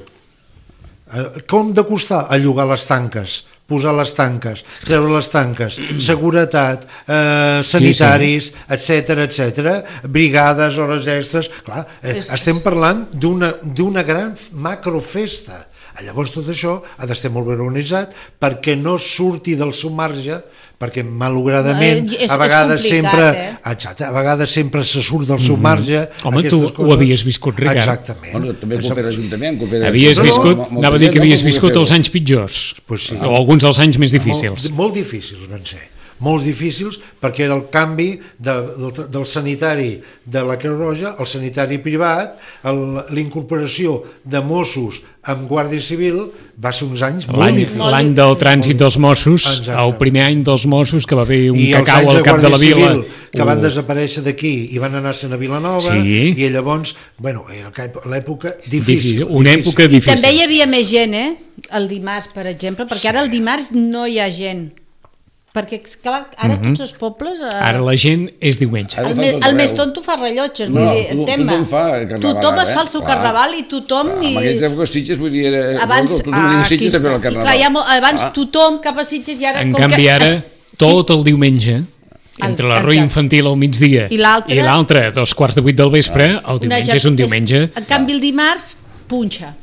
[SPEAKER 4] eh, com de costar allogar les tanques, posar les tanques, treure les tanques, seguretat, eh, sanitaris, etc etc, brigades, hores extres, clar, eh,
[SPEAKER 3] És-
[SPEAKER 4] estem parlant d'una d'una gran macrofesta. Llavors tot això ha d'estar molt ben organitzat perquè no surti del seu marge, perquè malogradament
[SPEAKER 3] No, és-
[SPEAKER 4] a
[SPEAKER 3] és
[SPEAKER 4] vegades
[SPEAKER 3] complicat,
[SPEAKER 4] sempre
[SPEAKER 3] eh?
[SPEAKER 4] exacte, a vegades sempre se surt del seu marge.
[SPEAKER 1] Home,
[SPEAKER 4] aquestes
[SPEAKER 1] tu ho
[SPEAKER 4] coses.
[SPEAKER 1] havies viscut, Ricard.
[SPEAKER 4] Exactament.
[SPEAKER 2] Bueno, també coopera l'Ajuntament. coopera-
[SPEAKER 1] Havies
[SPEAKER 2] No, no,
[SPEAKER 1] viscut,
[SPEAKER 2] molta
[SPEAKER 1] anava a dir
[SPEAKER 2] gent
[SPEAKER 1] que
[SPEAKER 2] no
[SPEAKER 1] havies
[SPEAKER 2] pugui
[SPEAKER 1] viscut
[SPEAKER 2] fer-ho.
[SPEAKER 1] els anys pitjors,
[SPEAKER 4] Pues sí.
[SPEAKER 1] o alguns dels anys més difícils.
[SPEAKER 4] Molt, molt difícils van ser. Molt difícils perquè era el canvi de, del, del sanitari de la Creu Roja al sanitari privat, el- l'incorporació de Mossos amb Guàrdia Civil va ser uns anys molt
[SPEAKER 1] L'any
[SPEAKER 4] difícils.
[SPEAKER 1] l'any del trànsit dels Mossos,
[SPEAKER 4] Exacte.
[SPEAKER 1] el primer any dels Mossos, que va haver un
[SPEAKER 4] I els
[SPEAKER 1] cacau
[SPEAKER 4] anys
[SPEAKER 1] al cap de la
[SPEAKER 4] Guàrdia
[SPEAKER 1] vila.
[SPEAKER 4] Civil, que van
[SPEAKER 1] Uh,
[SPEAKER 4] desaparèixer d'aquí i van anar-se'n a Vilanova,
[SPEAKER 1] Sí.
[SPEAKER 4] i llavors, bueno, era l'època
[SPEAKER 1] difícil,
[SPEAKER 4] difícil.
[SPEAKER 1] una
[SPEAKER 4] difícil.
[SPEAKER 1] època difícil.
[SPEAKER 3] També hi havia més gent, eh? El dimarts, per exemple, perquè ara el dimarts no hi ha gent. Perquè, clar, ara tots els pobles... Eh,
[SPEAKER 1] Ara la gent és diumenge.
[SPEAKER 2] Ara
[SPEAKER 3] el,
[SPEAKER 2] fa
[SPEAKER 3] me,
[SPEAKER 2] tot
[SPEAKER 3] el més
[SPEAKER 2] arreu.
[SPEAKER 3] tonto fa rellotges,
[SPEAKER 2] No,
[SPEAKER 3] vull dir,
[SPEAKER 2] tu-
[SPEAKER 3] entén-me.
[SPEAKER 2] tothom fa carnaval
[SPEAKER 3] Tothom
[SPEAKER 2] ara,
[SPEAKER 3] es fa el seu
[SPEAKER 2] eh? Clar.
[SPEAKER 3] carnaval i tothom...
[SPEAKER 2] Clar,
[SPEAKER 3] I...
[SPEAKER 2] amb aquells èpoques Sitges, vull dir, era...
[SPEAKER 3] Abans,
[SPEAKER 2] tothom
[SPEAKER 3] ah,
[SPEAKER 2] venia a
[SPEAKER 3] aquí
[SPEAKER 2] Sitges també
[SPEAKER 3] està.
[SPEAKER 2] al
[SPEAKER 3] I
[SPEAKER 2] carnaval.
[SPEAKER 3] clar, hi ha, mo- abans
[SPEAKER 2] Ah.
[SPEAKER 3] tothom cap a Sitges i ara...
[SPEAKER 1] En
[SPEAKER 3] com
[SPEAKER 1] canvi,
[SPEAKER 3] que...
[SPEAKER 1] ara,
[SPEAKER 3] es-
[SPEAKER 1] tot el diumenge, entre la rua infantil al migdia
[SPEAKER 3] i l'altre
[SPEAKER 1] a dos quarts de vuit del vespre, el diumenge és un diumenge.
[SPEAKER 3] En canvi el dimarts, punxa.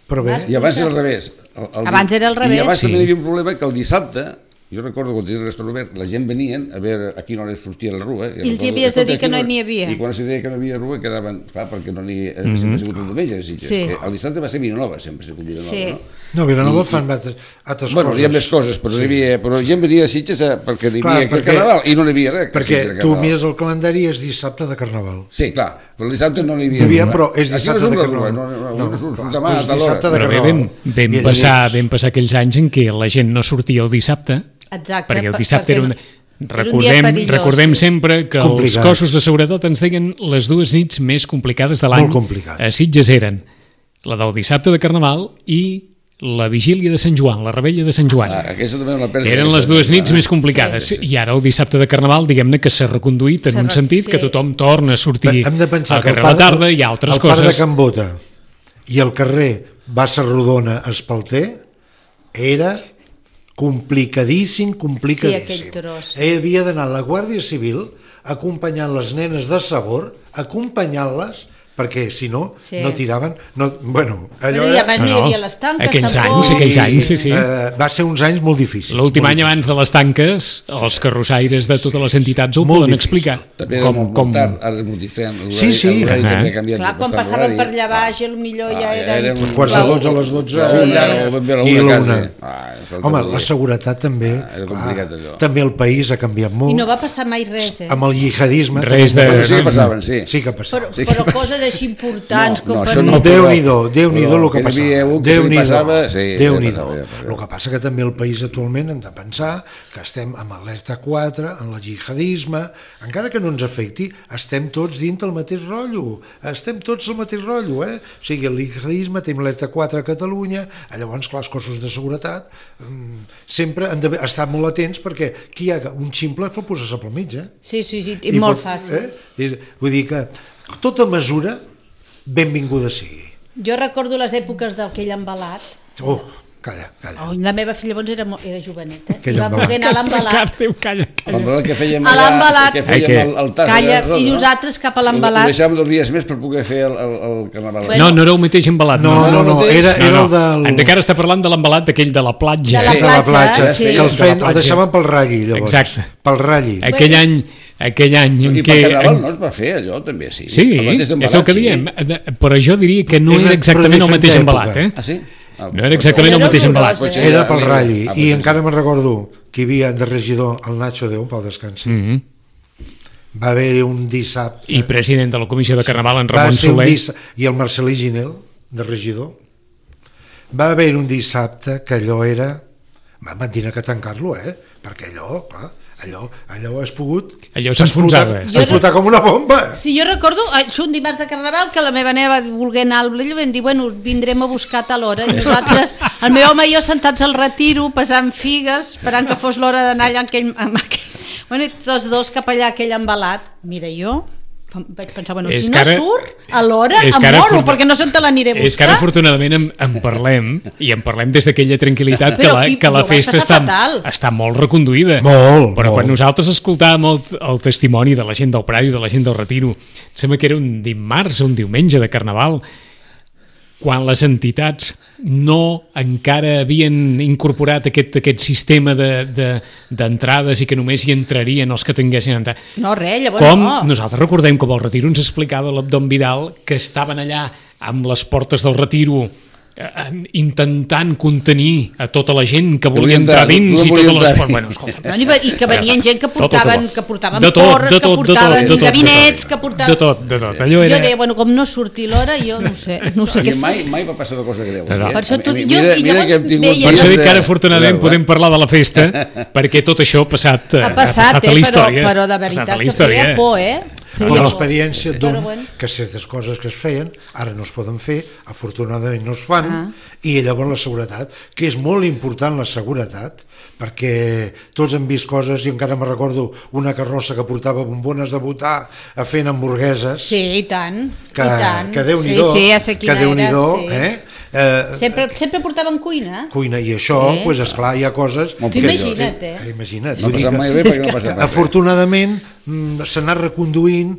[SPEAKER 4] Però bé,
[SPEAKER 2] I abans era al revés. El, el,
[SPEAKER 3] Abans era al revés.
[SPEAKER 2] I abans
[SPEAKER 1] Sí.
[SPEAKER 2] també hi havia un problema que el dissabte, jo recordo quan tenia el restaurant obert, la gent venien a veure a quina hora sortia la rua.
[SPEAKER 3] I els hi havies de dir que no n'hi havia.
[SPEAKER 2] I quan es deia que no hi havia rua quedaven, clar, perquè no n'hi havia, sempre ha sigut un diumenge.
[SPEAKER 3] Sí.
[SPEAKER 2] El dissabte va ser Vilanova, sempre ha sigut Vilanova,
[SPEAKER 3] Sí.
[SPEAKER 2] no?
[SPEAKER 4] no, Vilanova
[SPEAKER 2] I-
[SPEAKER 4] fan altres, altres
[SPEAKER 2] Bueno,
[SPEAKER 4] coses.
[SPEAKER 2] hi ha més coses, però, sí. hi havia, però gent venia a Sitges a, perquè n'hi
[SPEAKER 4] Clar,
[SPEAKER 2] havia
[SPEAKER 4] perquè-
[SPEAKER 2] perquè, Carnaval i no n'hi havia res. que
[SPEAKER 4] Perquè
[SPEAKER 2] Sitges a
[SPEAKER 4] tu
[SPEAKER 2] Carnaval.
[SPEAKER 4] mires el calendari i és dissabte de Carnaval.
[SPEAKER 2] Sí, clar, però el dissabte no n'hi havia.
[SPEAKER 4] Hi havia,
[SPEAKER 2] rua.
[SPEAKER 4] però és
[SPEAKER 2] Aquí
[SPEAKER 4] dissabte
[SPEAKER 2] no surt
[SPEAKER 4] de
[SPEAKER 2] la
[SPEAKER 4] Carnaval.
[SPEAKER 2] rua, No, no, no,
[SPEAKER 4] No,
[SPEAKER 2] no, surt,
[SPEAKER 4] clar,
[SPEAKER 2] surt demà
[SPEAKER 4] és
[SPEAKER 2] a tal hora.
[SPEAKER 4] dissabte de
[SPEAKER 1] Però bé,
[SPEAKER 4] Carnaval.
[SPEAKER 1] vam, vam,
[SPEAKER 4] I
[SPEAKER 1] passar,
[SPEAKER 4] llavors-
[SPEAKER 1] vam passar aquells anys en què la gent no sortia el dissabte,
[SPEAKER 3] Exacte,
[SPEAKER 1] perquè el
[SPEAKER 3] per-
[SPEAKER 1] dissabte
[SPEAKER 3] perquè
[SPEAKER 1] era un...
[SPEAKER 3] no- era un dia
[SPEAKER 1] Recordem,
[SPEAKER 3] perillós,
[SPEAKER 1] recordem
[SPEAKER 3] sí.
[SPEAKER 1] sempre que els
[SPEAKER 4] Complicats.
[SPEAKER 1] cossos de seguretat ens deien les dues nits més complicades de l'any.
[SPEAKER 4] Molt complicats.
[SPEAKER 1] A Sitges eren la del dissabte de Carnaval i la vigília de Sant Joan, la rebella de Sant Joan.
[SPEAKER 2] Ah, aquesta també la perds.
[SPEAKER 1] Eren les dues nits més complicades.
[SPEAKER 2] Sí, sí.
[SPEAKER 1] I ara el dissabte de Carnaval, diguem-ne que s'ha reconduït en
[SPEAKER 3] S'ha
[SPEAKER 1] un
[SPEAKER 3] re-
[SPEAKER 1] sentit
[SPEAKER 3] sí.
[SPEAKER 1] que tothom torna a sortir
[SPEAKER 4] Hem de pensar
[SPEAKER 1] al
[SPEAKER 4] que el
[SPEAKER 1] carrer a la
[SPEAKER 4] parc-
[SPEAKER 1] tarda i altres
[SPEAKER 4] el parc de
[SPEAKER 1] coses.
[SPEAKER 4] Can Bota i el carrer Bassa Rodona Espalter era complicadíssim, complicadíssim.
[SPEAKER 3] Sí, aquell tros.
[SPEAKER 4] Hi havia d'anar la Guàrdia Civil acompanyant les nenes de sabor, acompanyant-les, perquè si no,
[SPEAKER 3] Sí.
[SPEAKER 4] no tiraven... No, bueno, allò
[SPEAKER 3] Però i abans no hi
[SPEAKER 1] No, no.
[SPEAKER 3] havia les tanques,
[SPEAKER 1] Aquells
[SPEAKER 3] tampoc.
[SPEAKER 1] anys, aquells anys, sí, sí.
[SPEAKER 4] Eh, va ser uns anys molt difícils.
[SPEAKER 1] L'últim
[SPEAKER 4] molt
[SPEAKER 1] any abans de les tanques, els carrossaires de totes les entitats ho
[SPEAKER 4] Molt
[SPEAKER 1] poden
[SPEAKER 4] difícil.
[SPEAKER 1] explicar.
[SPEAKER 2] També era
[SPEAKER 1] Com,
[SPEAKER 2] molt,
[SPEAKER 1] com...
[SPEAKER 2] molt tard, ara és molt diferent. L'horari-
[SPEAKER 4] Sí, sí.
[SPEAKER 2] l'horari
[SPEAKER 1] Ah.
[SPEAKER 2] també ha canviat
[SPEAKER 3] Clar, quan
[SPEAKER 2] bastant
[SPEAKER 3] passaven per
[SPEAKER 2] l'horari.
[SPEAKER 3] allà baix, potser ja
[SPEAKER 2] Ah,
[SPEAKER 3] eren...
[SPEAKER 2] eren uns
[SPEAKER 4] Quarts de dotze a les dotze
[SPEAKER 2] Sí,
[SPEAKER 4] una,
[SPEAKER 2] ja, o ben bé a la
[SPEAKER 4] i
[SPEAKER 2] una
[SPEAKER 4] la
[SPEAKER 2] quasi.
[SPEAKER 4] una.
[SPEAKER 2] Ah, és el
[SPEAKER 4] Home,
[SPEAKER 2] que
[SPEAKER 4] la seguretat també,
[SPEAKER 2] Ah, era complicat, allò.
[SPEAKER 4] també el país ha canviat molt.
[SPEAKER 3] I no va passar mai res, eh?
[SPEAKER 4] Amb el jihadisme...
[SPEAKER 1] Res
[SPEAKER 4] també-
[SPEAKER 1] de-
[SPEAKER 2] Però sí que passaven, sí.
[SPEAKER 4] Sí que passava.
[SPEAKER 3] Però,
[SPEAKER 2] Sí que
[SPEAKER 3] però
[SPEAKER 2] passa.
[SPEAKER 3] coses així importants
[SPEAKER 2] No,
[SPEAKER 3] com
[SPEAKER 2] no,
[SPEAKER 3] per
[SPEAKER 2] això no,
[SPEAKER 3] dir-
[SPEAKER 4] Déu-n'hi-do, Déu-n'hi-do el que
[SPEAKER 2] Però que n'hi havia
[SPEAKER 4] passava.
[SPEAKER 2] un que se li
[SPEAKER 4] Déu-n'hi-do,
[SPEAKER 2] passava, sí,
[SPEAKER 4] Déu-n'hi-do.
[SPEAKER 2] ja passava, ja.
[SPEAKER 4] El que passa que també el país actualment hem de pensar que estem amb alerta quatre, en el jihadisme, encara que no ens afecti, estem tots dins del mateix rotllo, estem tots al mateix rotllo, eh? O sigui, el jihadisme, tenim alerta quatre a Catalunya, llavors, clar, els cossos de seguretat mm, sempre han d'estar molt atents perquè qui hi ha un ximple pot posar-se pel mig, eh?
[SPEAKER 3] Sí, sí, sí, i molt
[SPEAKER 4] pot-
[SPEAKER 3] fàcil.
[SPEAKER 4] Eh? I, vull dir que tota mesura benvinguda sigui.
[SPEAKER 3] Jo recordo les èpoques d'aquell embalat.
[SPEAKER 4] Oh, calla, calla.
[SPEAKER 3] Oh, la meva filla llavors era, mo- era joveneta. I
[SPEAKER 4] Aquell
[SPEAKER 3] va
[SPEAKER 4] embalat.
[SPEAKER 3] voler anar a l'embalat.
[SPEAKER 1] Déu, calla, calla.
[SPEAKER 2] El que fèiem
[SPEAKER 3] A l'embalat.
[SPEAKER 2] que fèiem
[SPEAKER 1] Ai,
[SPEAKER 2] el, el tas
[SPEAKER 3] Calla,
[SPEAKER 2] de roda,
[SPEAKER 3] i
[SPEAKER 2] no?
[SPEAKER 3] nosaltres cap a
[SPEAKER 2] Ho
[SPEAKER 3] l'embalat.
[SPEAKER 2] deixàvem dos dies més per poder fer el, el, el carnaval.
[SPEAKER 3] Bueno.
[SPEAKER 1] No, no era el mateix embalat.
[SPEAKER 4] No, no, no,
[SPEAKER 2] mateix.
[SPEAKER 4] era, era el del...
[SPEAKER 1] Encara està parlant de l'embalat d'aquell de la platja.
[SPEAKER 3] De la
[SPEAKER 4] de la
[SPEAKER 3] platja,
[SPEAKER 4] platja,
[SPEAKER 3] sí.
[SPEAKER 4] que el,
[SPEAKER 1] De la
[SPEAKER 4] feien, el
[SPEAKER 1] platja.
[SPEAKER 4] deixaven pel ratlli, llavors.
[SPEAKER 1] Exacte.
[SPEAKER 4] Pel ratlli.
[SPEAKER 1] Aquell any, aquell any en
[SPEAKER 2] I
[SPEAKER 1] què...
[SPEAKER 2] per carnaval no es va fer allò, també, sí.
[SPEAKER 1] Sí,
[SPEAKER 2] El mateix
[SPEAKER 1] és el
[SPEAKER 2] embalat,
[SPEAKER 1] que
[SPEAKER 2] sí.
[SPEAKER 1] diem. De- Però jo diria que no
[SPEAKER 4] Era
[SPEAKER 1] era exactament
[SPEAKER 4] per
[SPEAKER 1] el mateix
[SPEAKER 4] diferent
[SPEAKER 1] embalat,
[SPEAKER 4] època.
[SPEAKER 1] eh?
[SPEAKER 2] Ah, sí? Ah,
[SPEAKER 1] No era exactament el
[SPEAKER 3] Era
[SPEAKER 1] mateix
[SPEAKER 3] horrorós,
[SPEAKER 1] embalat.
[SPEAKER 2] Potser
[SPEAKER 3] eh?
[SPEAKER 4] Era
[SPEAKER 2] ja,
[SPEAKER 4] pel
[SPEAKER 2] ja,
[SPEAKER 4] ratlli.
[SPEAKER 2] ah,
[SPEAKER 4] I
[SPEAKER 2] potser
[SPEAKER 4] encara
[SPEAKER 2] sí.
[SPEAKER 4] me'n recordo que hi havia de regidor el Nacho Déu, Pau descansi.
[SPEAKER 1] Mhm.
[SPEAKER 4] Va haver-hi un dissabte...
[SPEAKER 1] I president de la comissió de Carnaval, en
[SPEAKER 4] va
[SPEAKER 1] Ramon
[SPEAKER 4] ser un
[SPEAKER 1] Soler.
[SPEAKER 4] dissa- I el Marcelí Ginel, de regidor. Va haver un dissabte que allò era... Vam tenir que tancar-lo, eh? Perquè allò, clar, allò, allò has pogut...
[SPEAKER 1] Allò s'enfonsava.
[SPEAKER 4] explotar- explotar com una bomba.
[SPEAKER 3] Sí, jo recordo, això un dimarts de Carnaval, que la meva nena va voler anar al Blell i vam dir, bueno, vindrem a buscar a tal hora. I nosaltres, el meu home i jo sentats al retiro, pesant figues, esperant que fos l'hora d'anar allà amb aquell, amb aquell... Bueno, i tots dos cap allà, aquell embalat. Mira, jo vaig pensar, bueno,
[SPEAKER 1] És
[SPEAKER 3] si
[SPEAKER 1] que
[SPEAKER 3] no
[SPEAKER 1] ara-
[SPEAKER 3] surt a l'hora,
[SPEAKER 1] és
[SPEAKER 3] em
[SPEAKER 1] que ara
[SPEAKER 3] moro,
[SPEAKER 1] for-
[SPEAKER 3] perquè no sé on te l'aniré a buscar.
[SPEAKER 1] És que ara afortunadament en, en parlem i en parlem des d'aquella tranquil·litat que
[SPEAKER 3] Però
[SPEAKER 1] la,
[SPEAKER 3] aquí
[SPEAKER 1] que la
[SPEAKER 3] ho vaig
[SPEAKER 1] festa
[SPEAKER 3] passar
[SPEAKER 1] està,
[SPEAKER 3] fatal.
[SPEAKER 1] està molt reconduïda.
[SPEAKER 4] Molt,
[SPEAKER 1] Però
[SPEAKER 4] molt.
[SPEAKER 1] quan nosaltres escoltàvem el, el testimoni de la gent del Prado i de la gent del Retiro, em sembla que era un dimarts o un diumenge de Carnaval, quan les entitats no encara havien incorporat aquest, aquest sistema de- de- d'entrades i que només hi entrarien els que tinguessin entrat.
[SPEAKER 3] No, res, llavors
[SPEAKER 1] Com
[SPEAKER 3] no.
[SPEAKER 1] nosaltres recordem com el Retiro ens explicava l'Abdon Vidal que estaven allà amb les portes del Retiro eh, intentant contenir a tota la gent que volia
[SPEAKER 2] volia
[SPEAKER 1] entrar
[SPEAKER 2] entrar,
[SPEAKER 1] dins i
[SPEAKER 2] no volia
[SPEAKER 1] totes les...
[SPEAKER 2] entrar.
[SPEAKER 1] Bueno, escolta,
[SPEAKER 3] No, i que venien gent que
[SPEAKER 1] Tot, tot,
[SPEAKER 3] portaven,
[SPEAKER 1] tot.
[SPEAKER 3] que portaven
[SPEAKER 1] De tot,
[SPEAKER 3] porres,
[SPEAKER 1] de
[SPEAKER 3] que
[SPEAKER 1] tot, de tot,
[SPEAKER 3] portaven
[SPEAKER 1] de tot, de tot.
[SPEAKER 3] gabinets, que portaven...
[SPEAKER 1] de tot, de tot. Allò era...
[SPEAKER 3] Jo deia, bueno, com no surti l'hora, jo no sé, no sé
[SPEAKER 2] I
[SPEAKER 3] què
[SPEAKER 2] mai,
[SPEAKER 3] fer.
[SPEAKER 2] mai va passar una cosa greu.
[SPEAKER 1] No, no.
[SPEAKER 2] eh?
[SPEAKER 3] Per això tu-
[SPEAKER 2] A mi-
[SPEAKER 3] jo- i llavors
[SPEAKER 2] que hem tingut
[SPEAKER 3] deia-
[SPEAKER 1] Per això dic que ara
[SPEAKER 2] de-
[SPEAKER 1] afortunadament
[SPEAKER 2] de-
[SPEAKER 1] podem parlar de la festa perquè tot això ha passat, eh,
[SPEAKER 3] Ha passat,
[SPEAKER 1] a
[SPEAKER 3] eh,
[SPEAKER 1] la
[SPEAKER 3] però,
[SPEAKER 1] història.
[SPEAKER 3] però de
[SPEAKER 1] Ha passat
[SPEAKER 3] veritat
[SPEAKER 1] a la
[SPEAKER 3] que
[SPEAKER 1] història.
[SPEAKER 3] feia por, eh?
[SPEAKER 4] I
[SPEAKER 3] Feia por.
[SPEAKER 4] l'experiència
[SPEAKER 3] Però
[SPEAKER 4] d'un
[SPEAKER 3] bueno.
[SPEAKER 4] que certes coses que es feien ara no es poden fer, afortunadament no es fan,
[SPEAKER 3] Ah.
[SPEAKER 4] i llavors la seguretat, que és molt important la seguretat, perquè tots hem vist coses, i encara me recordo una carrossa que portava bombones de votar a fent hamburgueses,
[SPEAKER 3] Sí, i tant,
[SPEAKER 4] que,
[SPEAKER 3] i tant.
[SPEAKER 4] que Déu-n'hi-do,
[SPEAKER 3] sí, sí, ja sé
[SPEAKER 4] que
[SPEAKER 3] quina
[SPEAKER 4] Déu-n'hi-do,
[SPEAKER 3] era, sí.
[SPEAKER 4] eh? Eh,
[SPEAKER 3] Sempre, sempre portaven cuina.
[SPEAKER 4] cuina, i això,
[SPEAKER 3] Sí.
[SPEAKER 4] pues, esclar, hi ha coses...
[SPEAKER 2] Molt
[SPEAKER 3] Tu
[SPEAKER 2] pitjors.
[SPEAKER 3] imagina't, eh?
[SPEAKER 4] Eh, Imagina't.
[SPEAKER 2] No
[SPEAKER 4] vull dir
[SPEAKER 2] passa
[SPEAKER 4] que,
[SPEAKER 2] mai res perquè no passa mai res.
[SPEAKER 4] afortunadament, mm, s'ha anat reconduint,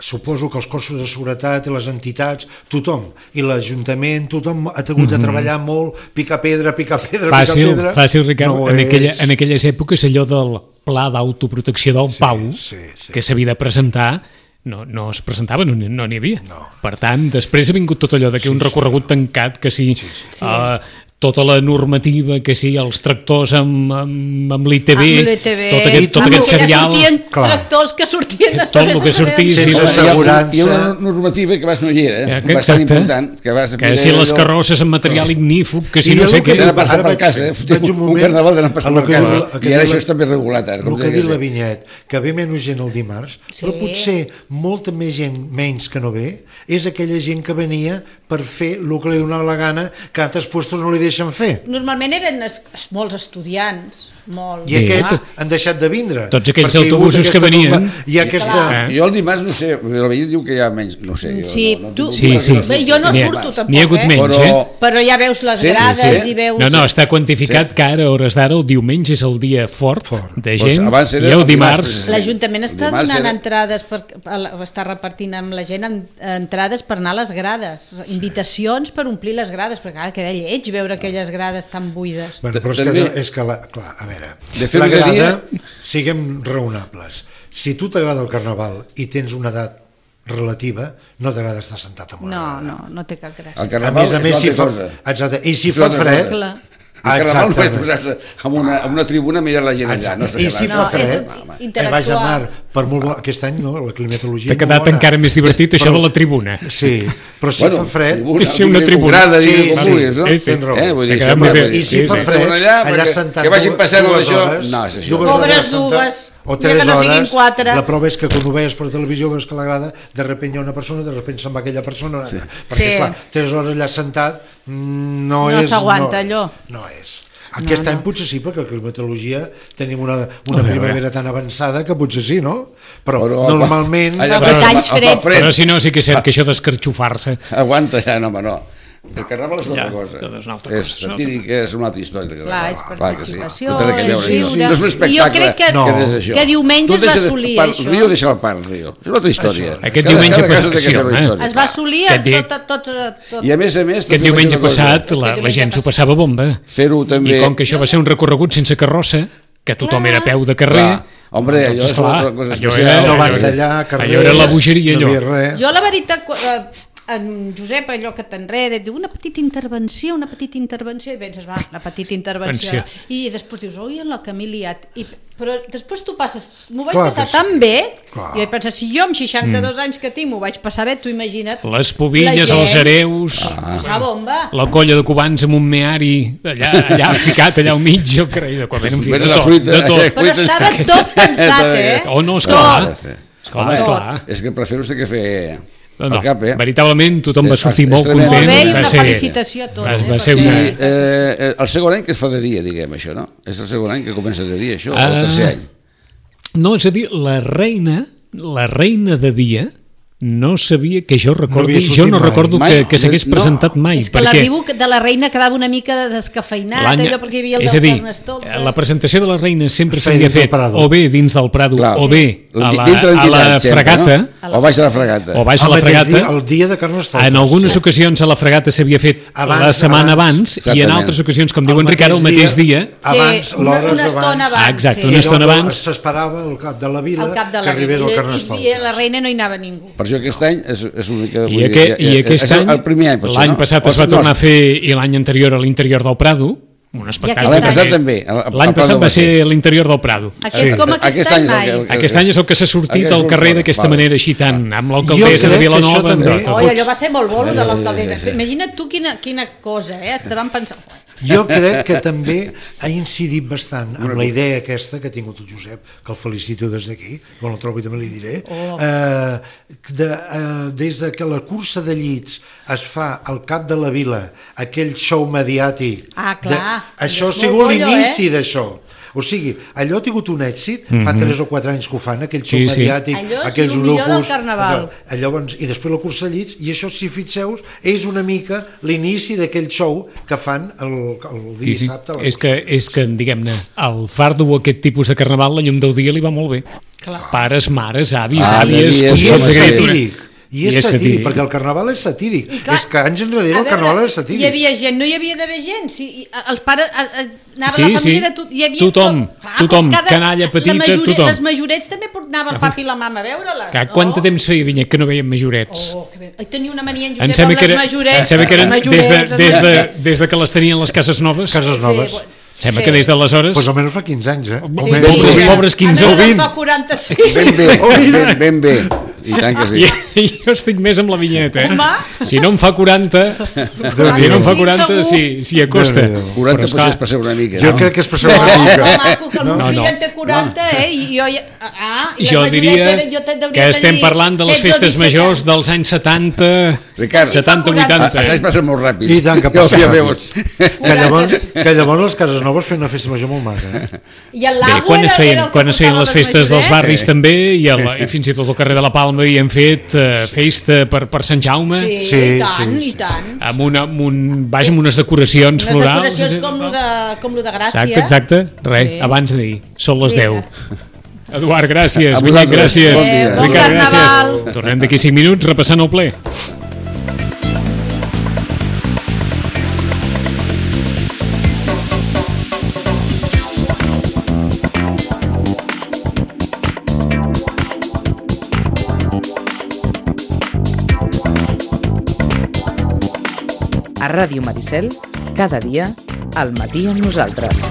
[SPEAKER 4] suposo que els cossos de seguretat i les entitats, tothom, i l'Ajuntament, tothom ha hagut de treballar molt, picar pedra, picar pedra,
[SPEAKER 1] Fàcil,
[SPEAKER 4] picar pedra...
[SPEAKER 1] fàcil, Ricard.
[SPEAKER 4] No
[SPEAKER 1] en,
[SPEAKER 4] és-
[SPEAKER 1] aquella, en aquelles èpoques allò del pla d'autoprotecció del Pau,
[SPEAKER 4] sí, sí.
[SPEAKER 1] que s'havia de presentar, no, no es presentava, no n'hi no n'hi havia.
[SPEAKER 4] No.
[SPEAKER 1] Per tant, després ha vingut tot allò de que un recorregut tancat, que si sí, sí. Uh, tota la normativa, que si els tractors amb, amb, amb l'I T V,
[SPEAKER 3] Amb l'I T V,
[SPEAKER 1] tot aquest, tot
[SPEAKER 3] amb
[SPEAKER 1] aquest
[SPEAKER 3] el que ja
[SPEAKER 1] serial...
[SPEAKER 3] sortien
[SPEAKER 4] Clar.
[SPEAKER 3] tractors que sortien
[SPEAKER 1] Tot
[SPEAKER 3] després.
[SPEAKER 1] el que sortís,
[SPEAKER 4] Sense
[SPEAKER 1] sí,
[SPEAKER 2] Hi ha-
[SPEAKER 4] assegurança.
[SPEAKER 2] Hi ha una normativa que abans no hi era,
[SPEAKER 1] Eh,
[SPEAKER 2] eh? bastant
[SPEAKER 1] exacte.
[SPEAKER 2] important. Que, vas
[SPEAKER 1] Que si les carrosses amb material ignífug, que si
[SPEAKER 4] I
[SPEAKER 1] no
[SPEAKER 4] el
[SPEAKER 1] sé
[SPEAKER 4] que
[SPEAKER 1] què...
[SPEAKER 2] Tenen passat
[SPEAKER 4] Ara
[SPEAKER 2] per
[SPEAKER 4] vaig-
[SPEAKER 2] casa, eh?
[SPEAKER 4] vaig un
[SPEAKER 2] un
[SPEAKER 4] moment
[SPEAKER 2] carnaval tenen passat
[SPEAKER 4] a lo
[SPEAKER 2] per
[SPEAKER 4] que
[SPEAKER 2] casa,
[SPEAKER 4] diu- el que
[SPEAKER 2] i ara
[SPEAKER 4] diu
[SPEAKER 2] això
[SPEAKER 4] la-
[SPEAKER 2] està més regulat ara.
[SPEAKER 4] El
[SPEAKER 2] com
[SPEAKER 4] que
[SPEAKER 2] deia
[SPEAKER 4] diu la
[SPEAKER 2] ser.
[SPEAKER 4] Vinyet, que ve menys gent el dimarts,
[SPEAKER 3] Sí.
[SPEAKER 4] però potser molta més gent menys que no ve, és aquella gent que venia per fer el que li donava la gana, que a altres puestos no li deixen fer.
[SPEAKER 3] Normalment eren es, es, molts estudiants, molts.
[SPEAKER 4] I aquests
[SPEAKER 3] Ah,
[SPEAKER 4] han deixat de vindre.
[SPEAKER 1] Tots aquells
[SPEAKER 4] perquè hi ha hagut
[SPEAKER 1] autobusos que
[SPEAKER 4] aquesta
[SPEAKER 1] venien.
[SPEAKER 4] norma- Hi ha aquesta...
[SPEAKER 1] Clar.
[SPEAKER 2] Jo el dimarts no sé, la veïna diu que hi ha menys, no sé. Jo,
[SPEAKER 3] Sí,
[SPEAKER 2] no, no,
[SPEAKER 3] tu-
[SPEAKER 2] no,
[SPEAKER 1] Sí, sí.
[SPEAKER 3] Bé, jo no
[SPEAKER 1] N'hi ha-
[SPEAKER 3] surto tampoc,
[SPEAKER 1] N'hi ha hagut
[SPEAKER 3] eh?
[SPEAKER 1] menys,
[SPEAKER 2] Però,
[SPEAKER 1] eh?
[SPEAKER 3] Però ja veus les
[SPEAKER 2] Sí, sí,
[SPEAKER 3] grades
[SPEAKER 2] sí.
[SPEAKER 3] i veus...
[SPEAKER 1] No, no, està quantificat que ara, a hores d'ara, el diumenge és el dia fort,
[SPEAKER 4] Fort.
[SPEAKER 1] de
[SPEAKER 2] Doncs
[SPEAKER 1] gent,
[SPEAKER 2] abans era
[SPEAKER 1] i el
[SPEAKER 2] el
[SPEAKER 1] dimarts...
[SPEAKER 2] dimarts.
[SPEAKER 3] L'Ajuntament està
[SPEAKER 2] Dimarts
[SPEAKER 3] donant
[SPEAKER 2] era-
[SPEAKER 3] entrades, per, a- està repartint amb la gent amb, entrades per anar a les grades, invitacions per omplir les grades, perquè ara queda lleig veure aquelles grades tan buides.
[SPEAKER 4] Bueno, però és
[SPEAKER 2] També-
[SPEAKER 4] que, és que la, clar, a veure,
[SPEAKER 2] De fet,
[SPEAKER 4] la
[SPEAKER 2] un dia-
[SPEAKER 4] grada, siguem raonables. Si tu t'agrada el carnaval i tens una edat relativa, no t'agrada estar sentat amb una
[SPEAKER 3] No,
[SPEAKER 4] grada.
[SPEAKER 3] no, no té cap gràcia.
[SPEAKER 2] El
[SPEAKER 4] A
[SPEAKER 2] carnaval
[SPEAKER 4] més a més,
[SPEAKER 2] és
[SPEAKER 4] si
[SPEAKER 2] una
[SPEAKER 4] fa,
[SPEAKER 2] altra cosa.
[SPEAKER 4] exacte, i si
[SPEAKER 2] És
[SPEAKER 4] fa
[SPEAKER 2] una altra
[SPEAKER 4] fred...
[SPEAKER 2] cosa.
[SPEAKER 3] Clar.
[SPEAKER 2] El carnaval no és
[SPEAKER 4] Exactament.
[SPEAKER 2] posar-se en una, en una tribuna a mirar la gent allà. No
[SPEAKER 4] Exacte. I si
[SPEAKER 3] No,
[SPEAKER 4] fa
[SPEAKER 3] és
[SPEAKER 4] fred,
[SPEAKER 3] in-
[SPEAKER 4] eh, vaja,
[SPEAKER 3] intel·lectual.
[SPEAKER 4] Mar, per molt bo, aquest any no, la climatologia
[SPEAKER 1] T'ha
[SPEAKER 4] és molt
[SPEAKER 1] quedat
[SPEAKER 4] bona.
[SPEAKER 1] encara més divertit això
[SPEAKER 4] Però-
[SPEAKER 1] de la tribuna.
[SPEAKER 4] Sí, però si
[SPEAKER 2] Bueno,
[SPEAKER 4] fa fred...
[SPEAKER 2] tribuna,
[SPEAKER 1] És una tribuna.
[SPEAKER 2] Grada,
[SPEAKER 4] Sí,
[SPEAKER 2] sí, com
[SPEAKER 4] sí,
[SPEAKER 2] vulguis, no?
[SPEAKER 1] sí, sí.
[SPEAKER 4] Tens raó.
[SPEAKER 2] Eh, vull dir,
[SPEAKER 1] T'ha
[SPEAKER 2] això,
[SPEAKER 1] quedat més
[SPEAKER 2] vull
[SPEAKER 1] bé.
[SPEAKER 2] dir,
[SPEAKER 4] I si
[SPEAKER 1] Sí,
[SPEAKER 4] fa
[SPEAKER 1] sí.
[SPEAKER 4] fred,
[SPEAKER 2] allà,
[SPEAKER 4] allà
[SPEAKER 2] perquè-
[SPEAKER 4] sentat
[SPEAKER 2] que vagin
[SPEAKER 4] dues-
[SPEAKER 2] passant
[SPEAKER 4] dues
[SPEAKER 2] això,
[SPEAKER 4] hores,
[SPEAKER 2] no, és això.
[SPEAKER 4] dues
[SPEAKER 3] Pobres
[SPEAKER 4] hores sentat,
[SPEAKER 3] dues,
[SPEAKER 4] o
[SPEAKER 3] ja
[SPEAKER 4] tres
[SPEAKER 3] que no siguin
[SPEAKER 4] hores,
[SPEAKER 3] quatre.
[SPEAKER 4] la prova és que quan ho veies per televisió veus que l'agrada, de sobte hi ha una persona, de sobte se'n va aquella persona, sí. perquè
[SPEAKER 3] Sí.
[SPEAKER 4] clar, tres hores allà sentat mm, no,
[SPEAKER 3] No
[SPEAKER 4] és...
[SPEAKER 3] s'aguanta
[SPEAKER 4] no,
[SPEAKER 3] allò.
[SPEAKER 4] No és. Aquest
[SPEAKER 3] No,
[SPEAKER 4] any
[SPEAKER 3] no.
[SPEAKER 4] potser sí, perquè la climatologia tenim una, una
[SPEAKER 1] A veure.
[SPEAKER 4] primavera tan avançada que potser sí, no? Però,
[SPEAKER 2] Però,
[SPEAKER 4] normalment...
[SPEAKER 2] allà
[SPEAKER 3] Però
[SPEAKER 2] va-
[SPEAKER 3] anys
[SPEAKER 2] va- va
[SPEAKER 3] freds.
[SPEAKER 2] fred.
[SPEAKER 1] Però si no, sí que és cert que això d'escarxofar-se...
[SPEAKER 2] Aguanta ja, no, home, no. El carnaval és una
[SPEAKER 1] Ja,
[SPEAKER 2] altra cosa.
[SPEAKER 1] és una altra
[SPEAKER 2] És
[SPEAKER 1] cosa, és una
[SPEAKER 2] satíric, és una altra història. el
[SPEAKER 3] Clar,
[SPEAKER 2] carnaval.
[SPEAKER 3] és
[SPEAKER 2] Clar que sí.
[SPEAKER 3] participació,
[SPEAKER 2] No té res a
[SPEAKER 3] és
[SPEAKER 2] veure,
[SPEAKER 3] viure.
[SPEAKER 2] no. No és un
[SPEAKER 3] I jo
[SPEAKER 2] espectacle
[SPEAKER 3] crec que-
[SPEAKER 4] No.
[SPEAKER 2] que és això.
[SPEAKER 3] que diumenge es
[SPEAKER 2] Tu
[SPEAKER 3] va
[SPEAKER 2] deixes de-
[SPEAKER 3] assolir
[SPEAKER 2] per-
[SPEAKER 3] això.
[SPEAKER 2] Rio deixa el parc, Rio. És una altra història.
[SPEAKER 1] Aquest
[SPEAKER 2] Cada-
[SPEAKER 1] diumenge
[SPEAKER 2] cada cas té
[SPEAKER 1] passat,
[SPEAKER 2] la
[SPEAKER 1] sí,
[SPEAKER 2] seva
[SPEAKER 1] home.
[SPEAKER 2] història.
[SPEAKER 3] Es va assolir
[SPEAKER 1] Que
[SPEAKER 3] amb
[SPEAKER 1] dic-
[SPEAKER 3] tot, tot, tot,
[SPEAKER 2] I a més a més...
[SPEAKER 1] Aquest
[SPEAKER 2] també
[SPEAKER 1] diumenge
[SPEAKER 2] una cosa,
[SPEAKER 1] passat la, la
[SPEAKER 3] diumenge
[SPEAKER 1] gent s'ho
[SPEAKER 3] passat.
[SPEAKER 1] passava bomba.
[SPEAKER 2] Fer-ho també...
[SPEAKER 1] I com que això va ser un recorregut sense carrossa, que tothom era a peu de carrer,
[SPEAKER 2] Clar. Hombre, allò és
[SPEAKER 1] esclar,
[SPEAKER 2] una cosa
[SPEAKER 1] allò
[SPEAKER 2] especial.
[SPEAKER 1] era,
[SPEAKER 4] No
[SPEAKER 1] allò,
[SPEAKER 4] van
[SPEAKER 1] era,
[SPEAKER 4] tallar carrers,
[SPEAKER 1] allò era la bogeria,
[SPEAKER 4] no hi
[SPEAKER 1] allò.
[SPEAKER 4] havia res.
[SPEAKER 3] Jo la veritat, qu- eh, en Josep, allò que t'enreda, diu una petita intervenció, una petita intervenció, i penses, va, una petita intervenció,
[SPEAKER 1] Intervenció.
[SPEAKER 3] i després dius, oi, en la que m'he liat. I, però després tu passes, m'ho vaig
[SPEAKER 4] Clar
[SPEAKER 3] passar
[SPEAKER 4] que sí.
[SPEAKER 3] tan bé,
[SPEAKER 4] Clar.
[SPEAKER 3] i vaig pensar, si jo amb seixanta-dos anys que tinc m'ho vaig passar bé, tu imagina't.
[SPEAKER 1] Les pobilles,
[SPEAKER 3] la gent,
[SPEAKER 1] els hereus,
[SPEAKER 2] Ah.
[SPEAKER 3] passar bomba.
[SPEAKER 1] la colla de cubans amb un meari allà, allà ficat, allà al mig, jo crec, de quan en fi,
[SPEAKER 2] Bueno,
[SPEAKER 1] de
[SPEAKER 2] la
[SPEAKER 1] tot,
[SPEAKER 2] fruita,
[SPEAKER 1] de tot.
[SPEAKER 2] eh,
[SPEAKER 3] Però estava tot pensat, eh?
[SPEAKER 1] Oh, no,
[SPEAKER 3] Tot.
[SPEAKER 1] esclar, esclar, esclar.
[SPEAKER 2] És que per fer-ho sé què fer
[SPEAKER 1] No, no,
[SPEAKER 2] al cap, eh?
[SPEAKER 1] veritablement tothom va
[SPEAKER 2] És-
[SPEAKER 1] sortir
[SPEAKER 2] és
[SPEAKER 1] molt
[SPEAKER 2] tremendo.
[SPEAKER 1] content.
[SPEAKER 3] Molt bé, i
[SPEAKER 1] va
[SPEAKER 3] una
[SPEAKER 1] ser,
[SPEAKER 3] felicitació a tots.
[SPEAKER 1] Va,
[SPEAKER 3] eh,
[SPEAKER 1] va ser
[SPEAKER 3] perquè-
[SPEAKER 1] una...
[SPEAKER 2] I eh, el segon any que es fa de dia, diguem, això, no? És el segon any que comença de dia, això,
[SPEAKER 1] Ah.
[SPEAKER 2] o el tercer any.
[SPEAKER 1] No, és a dir, la reina, la reina de dia, no sabia que jo recordi,
[SPEAKER 4] havia sortit
[SPEAKER 1] jo no
[SPEAKER 4] mai.
[SPEAKER 1] recordo
[SPEAKER 2] Mai.
[SPEAKER 1] que, que s'hagués
[SPEAKER 2] No.
[SPEAKER 1] presentat mai.
[SPEAKER 3] És que
[SPEAKER 1] perquè
[SPEAKER 3] l'arribo de la reina quedava una mica descafeinat,
[SPEAKER 1] l'any-
[SPEAKER 3] allò perquè hi havia el
[SPEAKER 1] és a
[SPEAKER 3] del
[SPEAKER 1] dir,
[SPEAKER 3] Carnestoltes.
[SPEAKER 1] la presentació de la reina sempre
[SPEAKER 4] Es feia
[SPEAKER 1] s'havia
[SPEAKER 4] dins del
[SPEAKER 1] fet
[SPEAKER 4] Prado.
[SPEAKER 1] o bé dins del Prado
[SPEAKER 2] Clar.
[SPEAKER 1] o bé a la,
[SPEAKER 2] Dintre
[SPEAKER 1] a la
[SPEAKER 2] l'entitat, sempre,
[SPEAKER 1] fregata
[SPEAKER 2] no? O baix a la fregata.
[SPEAKER 1] o baix a
[SPEAKER 4] El
[SPEAKER 1] la
[SPEAKER 4] mateix
[SPEAKER 1] fregata.
[SPEAKER 4] dia, el dia de Carnestoltes.
[SPEAKER 1] En algunes ocasions a la fregata s'havia fet
[SPEAKER 4] Abans,
[SPEAKER 1] la setmana abans,
[SPEAKER 4] abans.
[SPEAKER 1] i en
[SPEAKER 2] Exactament.
[SPEAKER 1] altres ocasions, com
[SPEAKER 4] El
[SPEAKER 1] diu en Ricard, el mateix dia,
[SPEAKER 3] Sí,
[SPEAKER 4] abans,
[SPEAKER 3] una,
[SPEAKER 4] l'hores
[SPEAKER 3] una estona abans.
[SPEAKER 1] Ah, exacte,
[SPEAKER 3] sí.
[SPEAKER 1] una
[SPEAKER 4] I
[SPEAKER 1] estona
[SPEAKER 4] llavors
[SPEAKER 1] abans.
[SPEAKER 4] s'esperava al cap de la vila
[SPEAKER 3] Al cap de
[SPEAKER 4] que
[SPEAKER 3] la
[SPEAKER 4] arribés el
[SPEAKER 3] I, i,
[SPEAKER 4] Carnestoltes.
[SPEAKER 3] i a la reina no hi anava ningú.
[SPEAKER 2] Per això aquest any és, és l'única...
[SPEAKER 1] I, aqu i aquest
[SPEAKER 2] és
[SPEAKER 1] any,
[SPEAKER 2] el primer any, potser,
[SPEAKER 1] l'any
[SPEAKER 2] no?
[SPEAKER 1] passat
[SPEAKER 2] O
[SPEAKER 1] es va
[SPEAKER 2] no,
[SPEAKER 1] tornar a fer, i l'any anterior a l'interior del Prado, un espectacle.
[SPEAKER 3] aquest
[SPEAKER 2] L'any passat
[SPEAKER 3] any.
[SPEAKER 2] també. el- el-
[SPEAKER 1] L'any
[SPEAKER 2] el
[SPEAKER 1] passat
[SPEAKER 2] Prado
[SPEAKER 1] va
[SPEAKER 2] ser.
[SPEAKER 1] ser a l'interior del Prado.
[SPEAKER 3] Aquest, com aquest,
[SPEAKER 2] Aquest
[SPEAKER 3] any
[SPEAKER 2] any és
[SPEAKER 3] mai.
[SPEAKER 2] el que-
[SPEAKER 1] Aquest any és el que s'ha sortit
[SPEAKER 2] Aquest
[SPEAKER 1] al
[SPEAKER 2] és
[SPEAKER 1] carrer
[SPEAKER 2] el-
[SPEAKER 1] d'aquesta
[SPEAKER 2] val.
[SPEAKER 1] manera així tant, amb
[SPEAKER 4] Jo
[SPEAKER 1] l'alcaldessa de
[SPEAKER 4] crec que això
[SPEAKER 1] Vilanova. amb
[SPEAKER 4] també-
[SPEAKER 1] tot.
[SPEAKER 3] Oi, allò va ser molt bolo de
[SPEAKER 2] Eh,
[SPEAKER 3] l'alcaldessa.
[SPEAKER 2] sí, sí.
[SPEAKER 3] Imagina't tu quina, quina cosa, eh? Estaven pensant...
[SPEAKER 4] Jo crec que també ha incidit bastant amb la idea aquesta que ha tingut el Josep, que el felicito des d'aquí, quan el trobi també li diré,
[SPEAKER 3] Oh.
[SPEAKER 4] eh, de, eh, des de que la cursa de llits es fa al cap de la vila, aquell show mediàtic,
[SPEAKER 3] Ah, clar.
[SPEAKER 4] de, això ha
[SPEAKER 3] És
[SPEAKER 4] sigut
[SPEAKER 3] molt bollo,
[SPEAKER 4] l'inici
[SPEAKER 3] eh?
[SPEAKER 4] d'això. O sigui, allò ha tingut un èxit,
[SPEAKER 1] Mm-hmm.
[SPEAKER 4] fa tres o quatre anys que ho fan, aquell xou
[SPEAKER 1] Sí, sí.
[SPEAKER 4] mediàtic,
[SPEAKER 3] Allò és
[SPEAKER 4] aquells
[SPEAKER 3] el millor del
[SPEAKER 4] orocos,
[SPEAKER 3] carnaval.
[SPEAKER 4] allò, doncs, i després la cursa de llits, i això, si fixeu, és una mica l'inici d'aquell show que fan el, el
[SPEAKER 1] Sí, sí.
[SPEAKER 4] dissabte. a la
[SPEAKER 1] És que, és que diguem-ne, el fardo o aquest tipus de carnaval, la llum del dia li va molt bé.
[SPEAKER 3] Clar.
[SPEAKER 1] Pares, mares, avis,
[SPEAKER 2] Ah,
[SPEAKER 1] àvies,
[SPEAKER 2] i és
[SPEAKER 4] I és
[SPEAKER 1] consorts de criatura.
[SPEAKER 4] satíric. I és, satíric, perquè el carnaval és satíric.
[SPEAKER 3] I clar,
[SPEAKER 4] és que anys enrere
[SPEAKER 3] a
[SPEAKER 4] el carnaval
[SPEAKER 3] veure,
[SPEAKER 4] és satíric.
[SPEAKER 3] Hi havia gent, no hi havia d'haver gent. Si, i, els pares, a, a, anava
[SPEAKER 1] Sí,
[SPEAKER 3] la família
[SPEAKER 1] sí.
[SPEAKER 3] de tot. Hi havia
[SPEAKER 1] Tothom,
[SPEAKER 3] tot. Clar,
[SPEAKER 1] tothom,
[SPEAKER 3] doncs
[SPEAKER 1] canalla petita,
[SPEAKER 3] la majore,
[SPEAKER 1] tothom.
[SPEAKER 3] Les majorets també portava el papi i la mama a veure-la.
[SPEAKER 1] Que, quant de temps feia, Vinyet, que no veiem majorets?
[SPEAKER 3] Oh, que bé. Ai, tenia una mania en
[SPEAKER 1] Em
[SPEAKER 3] Josep
[SPEAKER 1] sembla
[SPEAKER 3] amb
[SPEAKER 1] que,
[SPEAKER 3] les
[SPEAKER 1] era,
[SPEAKER 3] majorets.
[SPEAKER 1] em sembla que eren
[SPEAKER 3] les
[SPEAKER 1] des de,
[SPEAKER 3] majorets,
[SPEAKER 1] des, de,
[SPEAKER 3] les-
[SPEAKER 1] des de que les tenien les cases noves.
[SPEAKER 4] Cases noves.
[SPEAKER 3] Sí,
[SPEAKER 1] Sembla
[SPEAKER 3] sí.
[SPEAKER 1] que des d'aleshores...
[SPEAKER 4] Pues almenys fa quinze anys, eh?
[SPEAKER 3] Sí,
[SPEAKER 4] Almenys.
[SPEAKER 1] pobres-
[SPEAKER 3] ja.
[SPEAKER 1] pobres quinze o
[SPEAKER 3] A mi
[SPEAKER 1] vint.
[SPEAKER 3] em fa quaranta-sis.
[SPEAKER 2] Ben bé, ben, ben bé. I tant que sí.
[SPEAKER 1] I, jo estic més amb la vinyeta, eh?
[SPEAKER 3] Home.
[SPEAKER 1] Si no em fa quaranta, si no em fa quaranta, sí, sí acosta.
[SPEAKER 4] Déu-n'hi-do.
[SPEAKER 2] quaranta
[SPEAKER 1] Però,
[SPEAKER 2] potser
[SPEAKER 1] esclar,
[SPEAKER 2] és per ser una mica,
[SPEAKER 4] Jo
[SPEAKER 2] no?
[SPEAKER 4] crec que és per ser
[SPEAKER 3] No,
[SPEAKER 4] una mica.
[SPEAKER 3] no, maco, que el meu
[SPEAKER 1] No,
[SPEAKER 3] fill
[SPEAKER 1] no.
[SPEAKER 3] en té quaranta, eh? I jo ja... Ah, i
[SPEAKER 1] jo
[SPEAKER 3] les
[SPEAKER 1] diria
[SPEAKER 3] majoretes, jo te- deuria
[SPEAKER 1] que estem
[SPEAKER 3] tenir
[SPEAKER 1] parlant de les
[SPEAKER 3] setze o
[SPEAKER 1] festes
[SPEAKER 3] disset
[SPEAKER 1] majors
[SPEAKER 3] anys.
[SPEAKER 1] dels anys setanta,
[SPEAKER 2] Ricard,
[SPEAKER 1] setanta,
[SPEAKER 2] Els
[SPEAKER 1] vuitanta.
[SPEAKER 2] anys passen molt ràpids.
[SPEAKER 4] I tant que
[SPEAKER 2] Ja ho
[SPEAKER 4] passa
[SPEAKER 2] ja
[SPEAKER 4] ràpid.
[SPEAKER 2] veus.
[SPEAKER 4] Que llavors, que llavors les cases noves feien una festa major molt maca, eh?
[SPEAKER 3] I el
[SPEAKER 1] Bé,
[SPEAKER 3] lago
[SPEAKER 1] quan
[SPEAKER 3] era,
[SPEAKER 1] es feien,
[SPEAKER 3] era el que
[SPEAKER 1] quan es feien
[SPEAKER 3] portava
[SPEAKER 1] les festes dels
[SPEAKER 3] majorets.
[SPEAKER 1] barris també i, el, i fins i tot al carrer de la Palma hi hem fet eh, festa per, per Sant Jaume
[SPEAKER 3] Sí,
[SPEAKER 4] Sí,
[SPEAKER 3] i tant,
[SPEAKER 4] sí,
[SPEAKER 3] i tant.
[SPEAKER 1] amb, una, amb, un, vaja, amb unes decoracions
[SPEAKER 3] Unes
[SPEAKER 1] florals.
[SPEAKER 3] decoracions com lo de, com lo de Gràcia.
[SPEAKER 1] Exacte, exacte. Res,
[SPEAKER 3] Sí.
[SPEAKER 1] abans d'ahir. Són les
[SPEAKER 3] Vinga.
[SPEAKER 1] deu. Eduard, gràcies.
[SPEAKER 2] A
[SPEAKER 1] Vinyet,
[SPEAKER 2] vosaltres.
[SPEAKER 1] gràcies.
[SPEAKER 2] Bon dia.
[SPEAKER 3] Bon
[SPEAKER 1] Ricard,
[SPEAKER 3] carnaval.
[SPEAKER 1] gràcies. Tornem d'aquí cinc minuts repassant el ple.
[SPEAKER 5] A Ràdio Maricel, cada dia, al matí amb nosaltres.